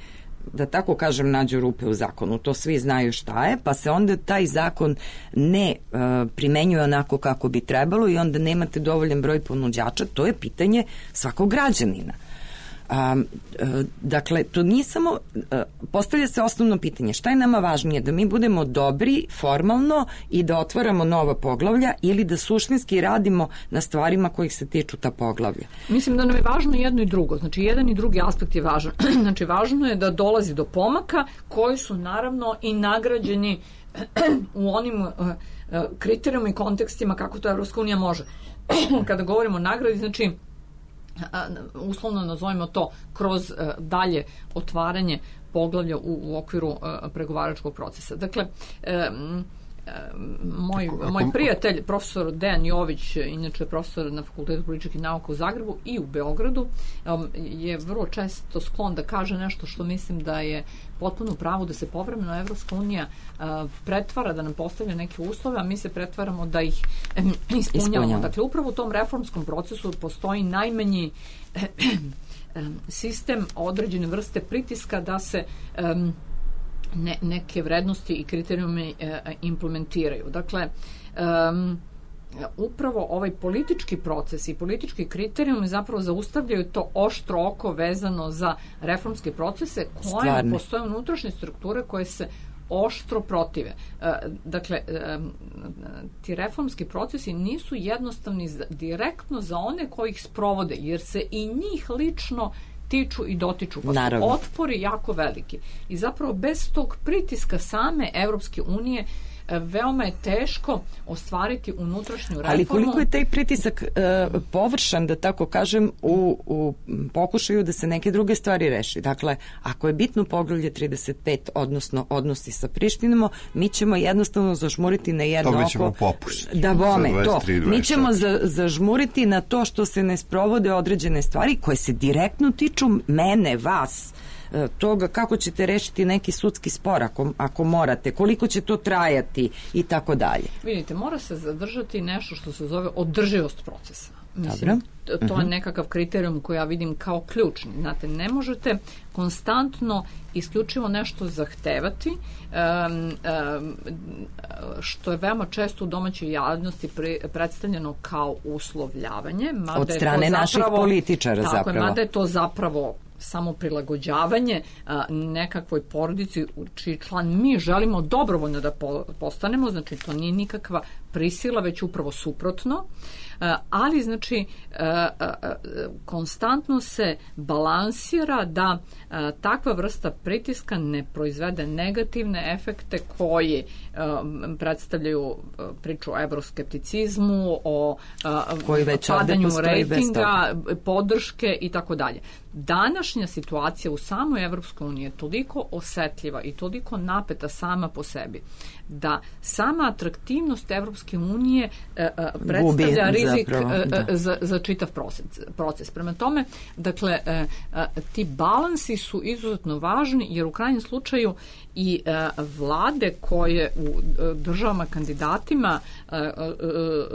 da tako kažem, nađu rupe u zakonu, to svi znaju šta je, pa se onda taj zakon ne uh, primenjuje onako kako bi trebalo i onda nemate dovoljan broj ponuđača, to je pitanje svakog građanina. Um, uh, dakle, to nije samo, uh, postavlja se osnovno pitanje, šta je nama važnije, da mi budemo dobri formalno i da otvaramo nova poglavlja ili da suštinski radimo na stvarima kojih se tiču ta poglavlja? Mislim da nam je važno jedno i drugo, znači jedan i drugi aspekt je važan. Znači, važno je da dolazi do pomaka koji su naravno i nagrađeni u onim uh, kriterijuma i kontekstima kako to Evropska unija može. Kada govorimo o nagradi, znači uslovno nazovimo to kroz uh, dalje otvaranje poglavlja u, u okviru uh, pregovaračkog procesa. Dakle, um, moj, Ako- moj ako- prijatelj, profesor Dejan Jović, inače profesor na Fakultetu političkih nauka u Zagrebu i u Beogradu, um, je vrlo često sklon da kaže nešto što mislim da je potpuno u pravu, da se povremeno Evropska unija uh, pretvara, da nam postavlja neke uslove, a mi se pretvaramo da ih um, ispunjavamo. Ispunjamo. Dakle, upravo u tom reformskom procesu postoji najmanji um, sistem određene vrste pritiska da se um, ne, neke vrednosti i kriterijume e, implementiraju. Dakle, um, upravo ovaj politički proces i politički kriterijumi zapravo zaustavljaju to oštro oko vezano za reformske procese koje Stvarno. postoje unutrašnje strukture koje se oštro protive. E, dakle, e, ti reformski procesi nisu jednostavni za, direktno za one koji ih sprovode, jer se i njih lično tiču i dotiču, pa Naravno. su otpori jako veliki. I zapravo bez tog pritiska same Evropske unije e, veoma je teško ostvariti unutrašnju reformu. Ali koliko je taj pritisak e, površan, da tako kažem, u, u pokušaju da se neke druge stvari reši. Dakle, ako je bitno poglavlje trideset pet, odnosno odnosi sa Prištinom, mi ćemo jednostavno zažmuriti na jedno Dobit ćemo oko. popust. Da bome, Za to. dvadeset tri, Mi ćemo za, zažmuriti na to što se ne sprovode određene stvari koje se direktno tiču mene, vas, toga kako ćete rešiti neki sudski spor ako, ako morate, koliko će to trajati i tako dalje. Vidite, mora se zadržati nešto što se zove održivost procesa. Mislim, Dobro. to, to je nekakav kriterijum koji ja vidim kao ključni. Znate, ne možete konstantno isključivo nešto zahtevati, um, um, što je veoma često u domaćoj javnosti pre, predstavljeno kao uslovljavanje. Mada Od je to strane zapravo, naših političara tako zapravo. Je, mada je to zapravo samo prilagođavanje a, nekakvoj porodici u čiji član mi želimo dobrovoljno da po, postanemo, znači to nije nikakva prisila, već upravo suprotno, a, ali znači a, a, a, konstantno se balansira da a, takva vrsta pritiska ne proizvede negativne efekte koji a, predstavljaju a, priču o evroskepticizmu, o a, koji već ovde padanju postoji bez rejtinga, podrške i tako dalje. Današnja situacija u samoj Evropskoj uniji je toliko osetljiva i toliko napeta sama po sebi da sama atraktivnost Evropske unije e, e, predstavlja Gubi, rizik zapravo, e, da. za, za čitav proces, proces. Prema tome, dakle, e, e, ti balansi su izuzetno važni jer u krajnjem slučaju i e, vlade koje u e, državama kandidatima e, e,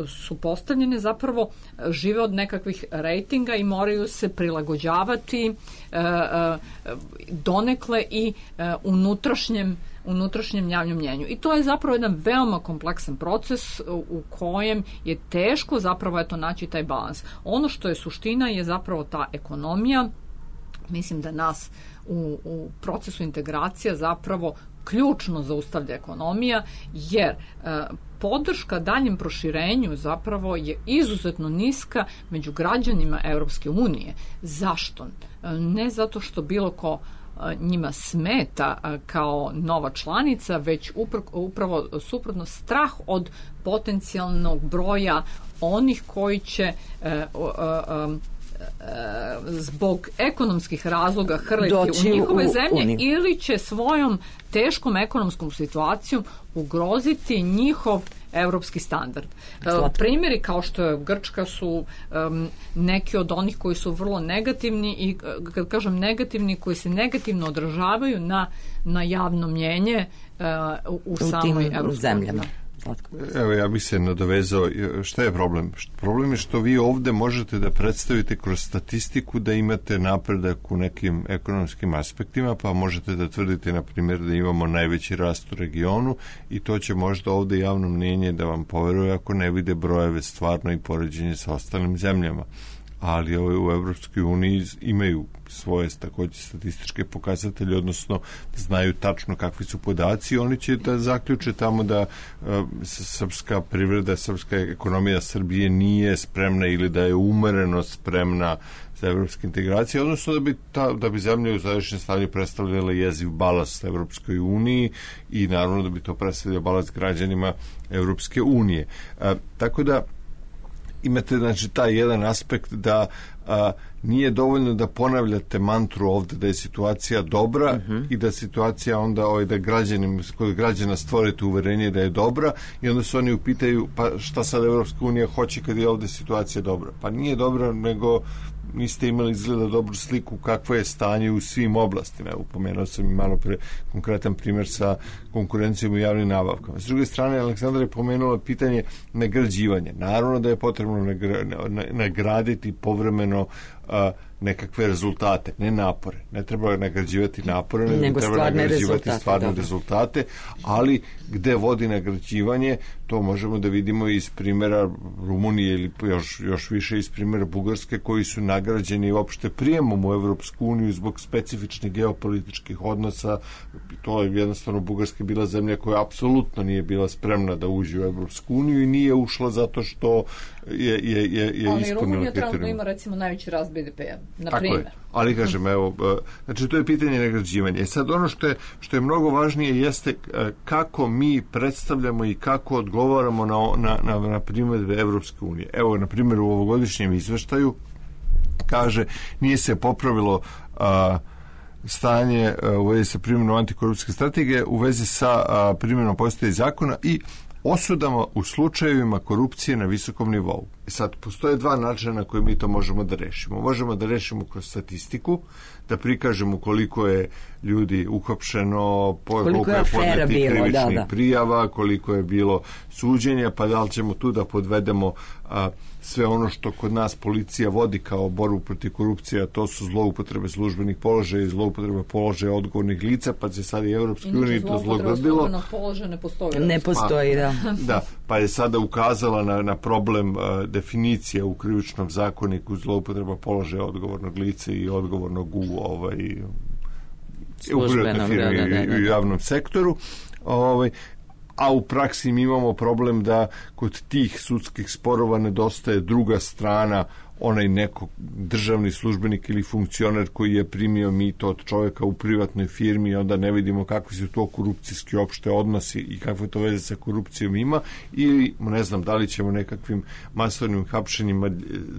su postavljene zapravo žive od nekakvih rejtinga i moraju se prilagođavati e, e, donekle i e, unutrašnjem unutrašnjem javnom mnjenju. I to je zapravo jedan veoma kompleksan proces u kojem je teško zapravo eto naći taj balans. Ono što je suština je zapravo ta ekonomija. Mislim da nas u, u procesu integracija zapravo ključno zaustavlja ekonomija, jer e, podrška daljem proširenju zapravo je izuzetno niska među građanima Europske unije. Zašto? E, ne zato što bilo ko njima smeta kao nova članica, već upravo suprotno strah od potencijalnog broja onih koji će zbog ekonomskih razloga hrliti u njihove u, zemlje u ili će svojom teškom ekonomskom situacijom ugroziti njihov evropski standard. Slatko. Primjeri kao što je Grčka su um, neki od onih koji su vrlo negativni i kad kažem negativni, koji se negativno odražavaju na, na javno mnjenje uh, u, u samoj evropskoj zemljama. Evo, ja bih se nadovezao. Šta je problem? Problem je što vi ovde možete da predstavite kroz statistiku da imate napredak u nekim ekonomskim aspektima, pa možete da tvrdite, na primjer, da imamo najveći rast u regionu i to će možda ovde javno mnjenje da vam poveruje ako ne vide brojeve stvarno i poređenje sa ostalim zemljama. Ali ove u Evropskoj uniji imaju svoje takođe statističke pokazatelje, odnosno znaju tačno kakvi su podaci. Oni će da zaključe tamo da uh, srpska privreda, srpska ekonomija Srbije nije spremna ili da je umereno spremna za evropske integracije, odnosno da bi, ta, da bi zemlja u sadašnjem stanju predstavljala jeziv balast Evropskoj uniji i naravno da bi to predstavljalo balast građanima Evropske unije. Uh, tako da imate znači taj jedan aspekt da a, nije dovoljno da ponavljate mantru ovde da je situacija dobra uh-huh. i da situacija onda ovaj, da građanima, kod građana stvorite uverenje da je dobra i onda se oni upitaju pa šta sad Evropska unija hoće kad je ovde situacija dobra. Pa nije dobra, nego niste imali izgleda dobru sliku kakvo je stanje u svim oblastima. Upomenuo sam i malo pre konkretan primjer sa konkurencijom u javnim nabavkama. S druge strane, Aleksandra je pomenula pitanje nagrađivanja. Naravno da je potrebno nagra, nagraditi povremeno a, nekakve rezultate, ne napore. Ne treba nagrađivati napore, nego, nego treba nagrađivati rezultate, stvarne dobro. rezultate, ali gde vodi nagrađivanje, to možemo da vidimo iz primjera Rumunije ili još, još više iz primjera Bugarske, koji su nagrađeni uopšte prijemom u Evropsku uniju zbog specifičnih geopolitičkih odnosa. To je jednostavno Bugarska bila zemlja koja apsolutno nije bila spremna da uđe u Evropsku uniju i nije ušla zato što je, je, je, je ispunila kriterijum. Ali Rumunija trenutno ima recimo najveći rast be de pe-a, na primjer. Ali kažem, evo, znači to je pitanje nagrađivanja. E sad ono što je, što je mnogo važnije jeste kako mi predstavljamo i kako odgovaramo na, na, na, na primjedbe Evropske unije. Evo, na primjer, u ovogodišnjem izveštaju kaže, nije se popravilo a, stanje a, u vezi sa primjenom antikorupcijske strategije, u vezi sa a, primjenom postojećih zakona i osudama u slučajevima korupcije na visokom nivou. Sad, postoje dva načina na koje mi to možemo da rešimo. Možemo da rešimo kroz statistiku, da prikažemo koliko je ljudi uhapšeno, koliko je podnetih krivičnih da, da. prijava, koliko je bilo suđenja, pa da li ćemo tu da podvedemo a, sve ono što kod nas policija vodi kao borbu protiv korupcije, a to su zloupotrebe službenih položaja i zloupotrebe položaja odgovornih lica, pa se sad i Evropskoj uniji to zlogrdilo. Inače, položaja ne postoji. Ne postoji, pa, da. Da, pa je sada ukazala na, na problem a, definicija u krivičnom zakoniku zloupotreba položaja odgovornog lica i odgovornog u ovaj u privatnoj firmi da, da, da, da. i u javnom sektoru. Ovaj, a u praksi mi imamo problem da kod tih sudskih sporova nedostaje druga strana, onaj neko državni službenik ili funkcioner koji je primio mito od čovjeka u privatnoj firmi i onda ne vidimo kakvi su to korupcijski opšte odnosi i kakve to veze sa korupcijom ima, ili ne znam da li ćemo nekakvim masovnim hapšenjima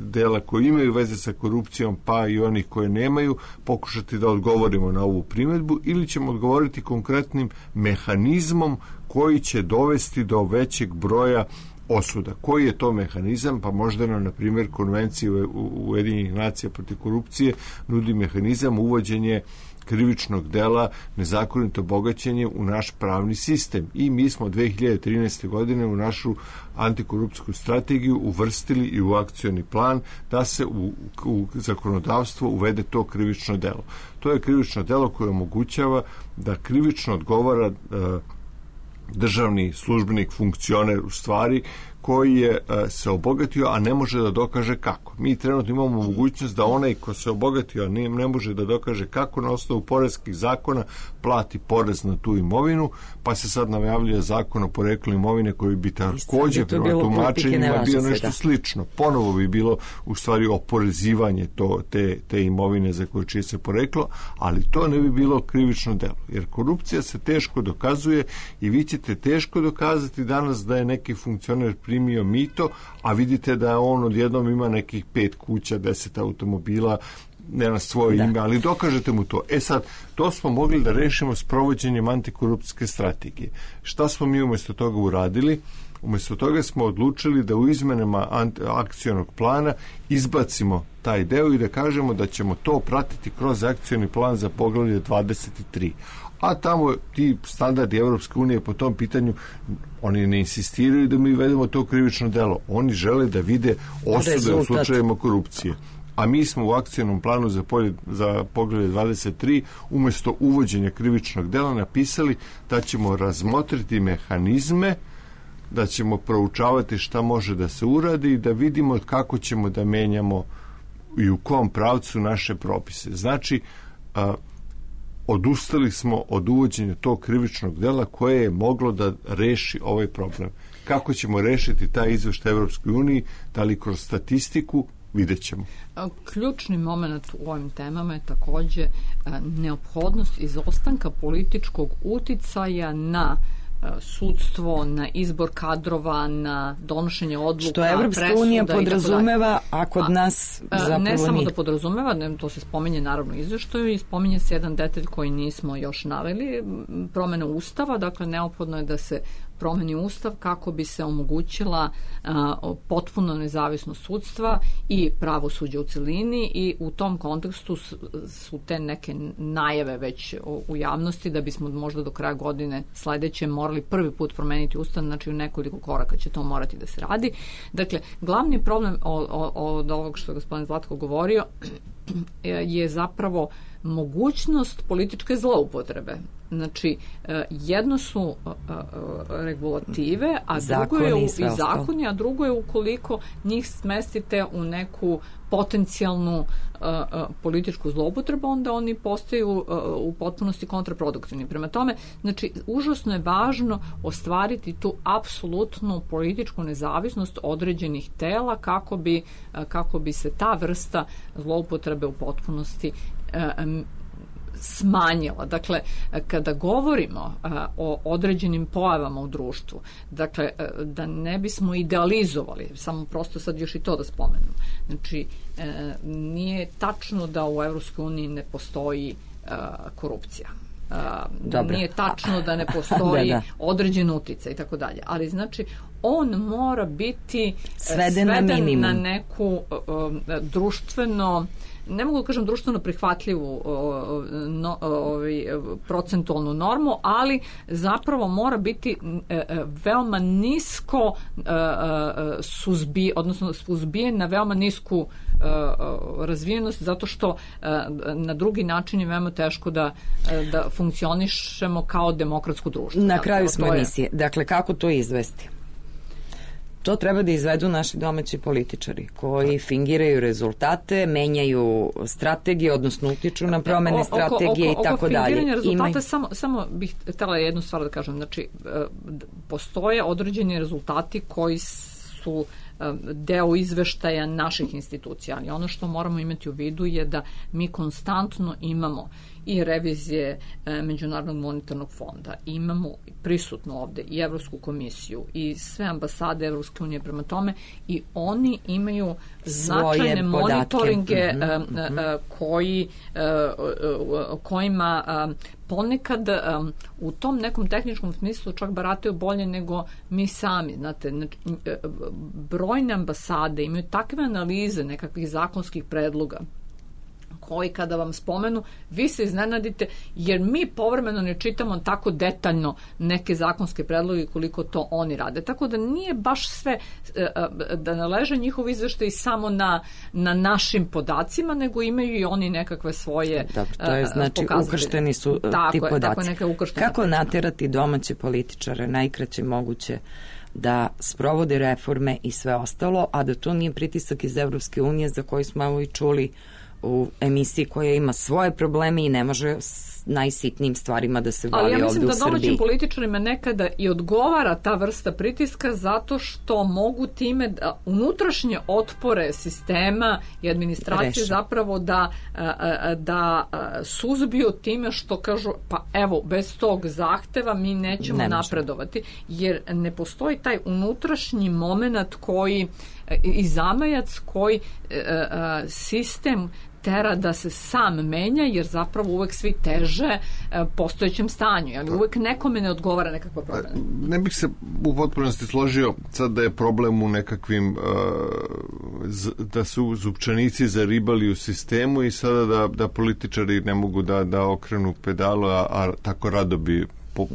dela koji imaju veze sa korupcijom pa i onih koje nemaju pokušati da odgovorimo na ovu primjedbu, ili ćemo odgovoriti konkretnim mehanizmom koji će dovesti do većeg broja osuda. Koji je to mehanizam? Pa možda nam, na primjer, konvencija Ujedinjenih nacija protiv korupcije nudi mehanizam uvođenje krivičnog dela nezakonito bogaćenje u naš pravni sistem. I mi smo dve hiljade trinaeste. godine u našu antikorupcijsku strategiju uvrstili i u akcioni plan da se u, u zakonodavstvo uvede to krivično delo. To je krivično delo koje omogućava da krivično odgovara e, državni službenik, funkcioner u stvari koji je e, se obogatio, a ne može da dokaže kako. Mi trenutno imamo mogućnost da onaj ko se obogatio, a ne, ne može da dokaže kako, na osnovu poreskih zakona plati porez na tu imovinu, pa se sad najavljuje zakon o poreklu imovine koji bi takođe prema tumačenjima bio nešto da. slično. Ponovo bi bilo u stvari oporezivanje to, te, te imovine za koje čije se poreklo, ali to ne bi bilo krivično delo. Jer korupcija se teško dokazuje i vi ćete teško dokazati danas da je neki funkcioner primio mito, a vidite da on odjednom ima nekih pet kuća, deset automobila, ne na svoje da. ime, ali dokažete mu to. E sad, to smo mogli da rešimo s provođenjem antikorupcijske strategije. Šta smo mi umjesto toga uradili? Umjesto toga smo odlučili da u izmenama akcionog plana izbacimo taj deo i da kažemo da ćemo to pratiti kroz akcioni plan za poglavlje dvadeset tri. A tamo ti standardi Evropske unije po tom pitanju, oni ne insistiraju da mi vedemo to krivično delo. Oni žele da vide osude Rezultat. u slučajevima korupcije. A mi smo u akcijnom planu za, polje, za poglavlje dvadeset tri umjesto uvođenja krivičnog dela napisali da ćemo razmotriti mehanizme, da ćemo proučavati šta može da se uradi i da vidimo kako ćemo da menjamo i u kom pravcu naše propise. Znači, a, odustali smo od uvođenja tog krivičnog dela koje je moglo da reši ovaj problem. Kako ćemo rešiti taj izveštaj Evropskoj uniji, da li kroz statistiku, vidjet ćemo. Ključni moment u ovim temama je takođe neophodnost izostanka političkog uticaja na sudstvo, na izbor kadrova, na donošenje odluka, što Evropska unija podrazumeva, a kod nas zapravo ne samo nije. da podrazumeva, ne, to se spominje naravno izveštaju i spominje se jedan detalj koji nismo još naveli, promena ustava, dakle neophodno je da se promeni ustav kako bi se omogućila a, potpuno nezavisnost sudstva i pravosuđa u celini, i u tom kontekstu su, su te neke najave već u, u javnosti da bismo možda do kraja godine sledeće morali prvi put promeniti ustav, znači u nekoliko koraka će to morati da se radi. Dakle, glavni problem od ovog što je gospodin Zlatko govorio je zapravo mogućnost političke zloupotrebe. Znači, jedno su regulative, a drugo je u, i zakoni, a drugo je ukoliko njih smestite u neku potencijalnu uh, uh, političku zloupotrebu, onda oni postaju uh, u potpunosti kontraproduktivni. Prema tome, znači, užasno je važno ostvariti tu apsolutnu političku nezavisnost određenih tela kako bi, uh, kako bi se ta vrsta zloupotrebe u potpunosti uh, smanjila. Dakle, kada govorimo a, o određenim pojavama u društvu, dakle, a, da ne bismo idealizovali, samo prosto sad još i to da spomenem. Znači, a, nije tačno da u Evropskoj uniji ne postoji a, korupcija. A, nije tačno da ne postoji da, da. određen uticaj i tako dalje. Ali, znači, on mora biti sveden, sveden na, na neku a, društveno ne mogu da kažem društveno prihvatljivu no, ovaj, procentualnu normu, ali zapravo mora biti veoma nisko suzbi, odnosno suzbijen na veoma nisku razvijenost, zato što na drugi način je veoma teško da, da funkcionišemo kao demokratsko društvo. Na kraju smo emisije. Dakle, kako to izvesti? To treba da izvedu naši domaći političari koji fingiraju rezultate, menjaju strategije, odnosno utiču na promene strategije oko, oko, i tako dalje. Oko fingiranja rezultata Ima... samo, samo bih htjela jednu stvar da kažem. Znači, postoje određeni rezultati koji su deo izveštaja naših institucija, ali ono što moramo imati u vidu je da mi konstantno imamo i revizije e, Međunarodnog monetarnog fonda, imamo prisutno ovde i Evropsku komisiju i sve ambasade Evropske unije prema tome, i oni imaju značajne monitoringe mm-hmm, e, mm-hmm. E, koji e, kojima e, ponekad um, u tom nekom tehničkom smislu čak barataju bolje nego mi sami. Znate, brojne ambasade imaju takve analize nekakvih zakonskih predloga koji kada vam spomenu, vi se iznenadite, jer mi povremeno ne čitamo tako detaljno neke zakonske predloge koliko to oni rade. Tako da nije baš sve da naleže njihov izveštaj samo na, na našim podacima, nego imaju i oni nekakve svoje Dobro, to je znači ukršteni su tako ti je, podaci. Tako je, neka ukrštena Kako naterati domaće političare najkraće moguće da sprovode reforme i sve ostalo, a da to nije pritisak iz Evropske unije za koji smo evo i čuli u emisiji koja ima svoje probleme i ne može s najsitnijim stvarima da se bavi ovdje u Srbiji. Ali ja mislim da domaćim političarima nekada i odgovara ta vrsta pritiska zato što mogu time da unutrašnje otpore sistema i administracije Reša. zapravo da, da suzbiju time što kažu pa evo, bez tog zahteva mi nećemo ne napredovati, jer ne postoji taj unutrašnji moment koji i zamajac koji sistem tera da se sam menja, jer zapravo uvek svi teže postojećem stanju, ali uvek nekome ne odgovara nekakva promena. Ne bih se u potpunosti složio sad da je problem u nekakvim da su zupčanici zaribali u sistemu i sada da, da političari ne mogu da, da okrenu pedalu, a, a tako rado bi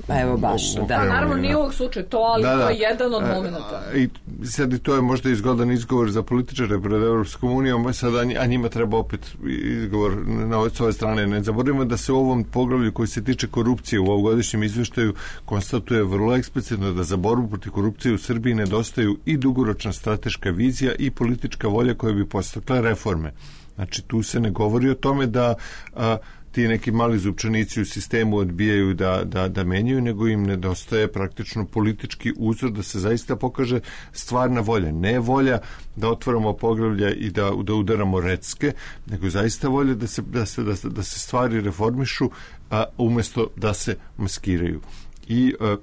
Evo baš, da. da. Naravno nije ovog slučaj to, ali da, da. to je jedan od momenta. I sad i to je možda izgodan izgovor za političare pred Evropskom unijom, sad, a njima treba opet izgovor na ove svoje strane. Ne zaboravimo da se u ovom poglavlju koji se tiče korupcije u ovogodišnjem izveštaju konstatuje vrlo eksplicitno da za borbu protiv korupcije u Srbiji nedostaju i dugoročna strateška vizija i politička volja koja bi podstakla reforme. Znači tu se ne govori o tome da a, ti neki mali zupčanici u sistemu odbijaju da, da, da menjaju, nego im nedostaje praktično politički uzor da se zaista pokaže stvarna volja. Ne volja da otvaramo poglavlja i da, da udaramo recke, nego zaista volja da se, da se, da se, da se stvari reformišu, a umjesto da se maskiraju. I a,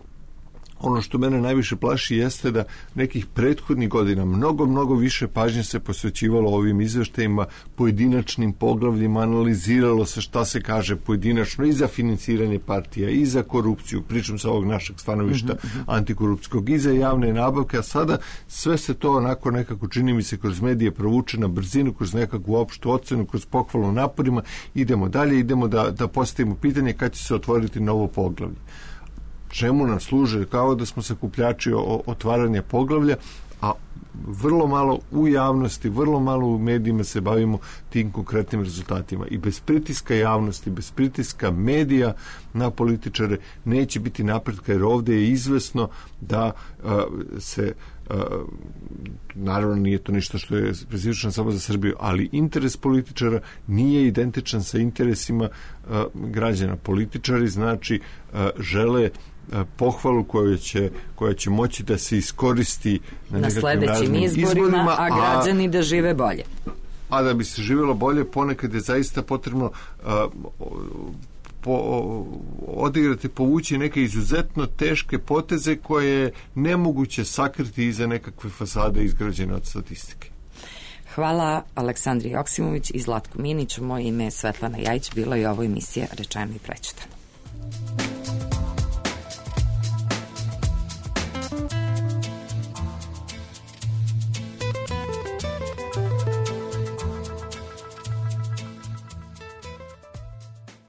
ono što mene najviše plaši jeste da nekih prethodnih godina mnogo, mnogo više pažnje se posvećivalo ovim izveštajima, pojedinačnim poglavljima, analiziralo se šta se kaže pojedinačno i za financiranje partija, i za korupciju, pričam sa ovog našeg stanovišta mm-hmm. antikorupcijskog, i za javne nabavke, a sada sve se to onako nekako, čini mi se, kroz medije provuče na brzinu, kroz nekakvu opštu ocenu, kroz pohvalu naporima, idemo dalje, idemo da, da postavimo pitanje kad će se otvoriti novo poglavlje. Čemu nam služe? Kao da smo sakupljači otvaranja poglavlja, a vrlo malo u javnosti, vrlo malo u medijima se bavimo tim konkretnim rezultatima. I bez pritiska javnosti, bez pritiska medija na političare neće biti napretka, jer ovdje je izvesno da uh, se uh, naravno nije to ništa što je specifično samo za Srbiju, ali interes političara nije identičan sa interesima uh, građana. Političari znači uh, žele pohvalu koja će, koja će moći da se iskoristi na, na sledećim izborima, izborima, a građani a, da žive bolje. A da bi se živjelo bolje, ponekad je zaista potrebno a, po, odigrati, povući neke izuzetno teške poteze koje je nemoguće sakriti iza nekakve fasade izgrađene od statistike. Hvala Aleksandri Joksimović i Zlatku Miniću. Moje ime je Svetlana Jajić, bila je ovo emisija Rečeno i prećutano.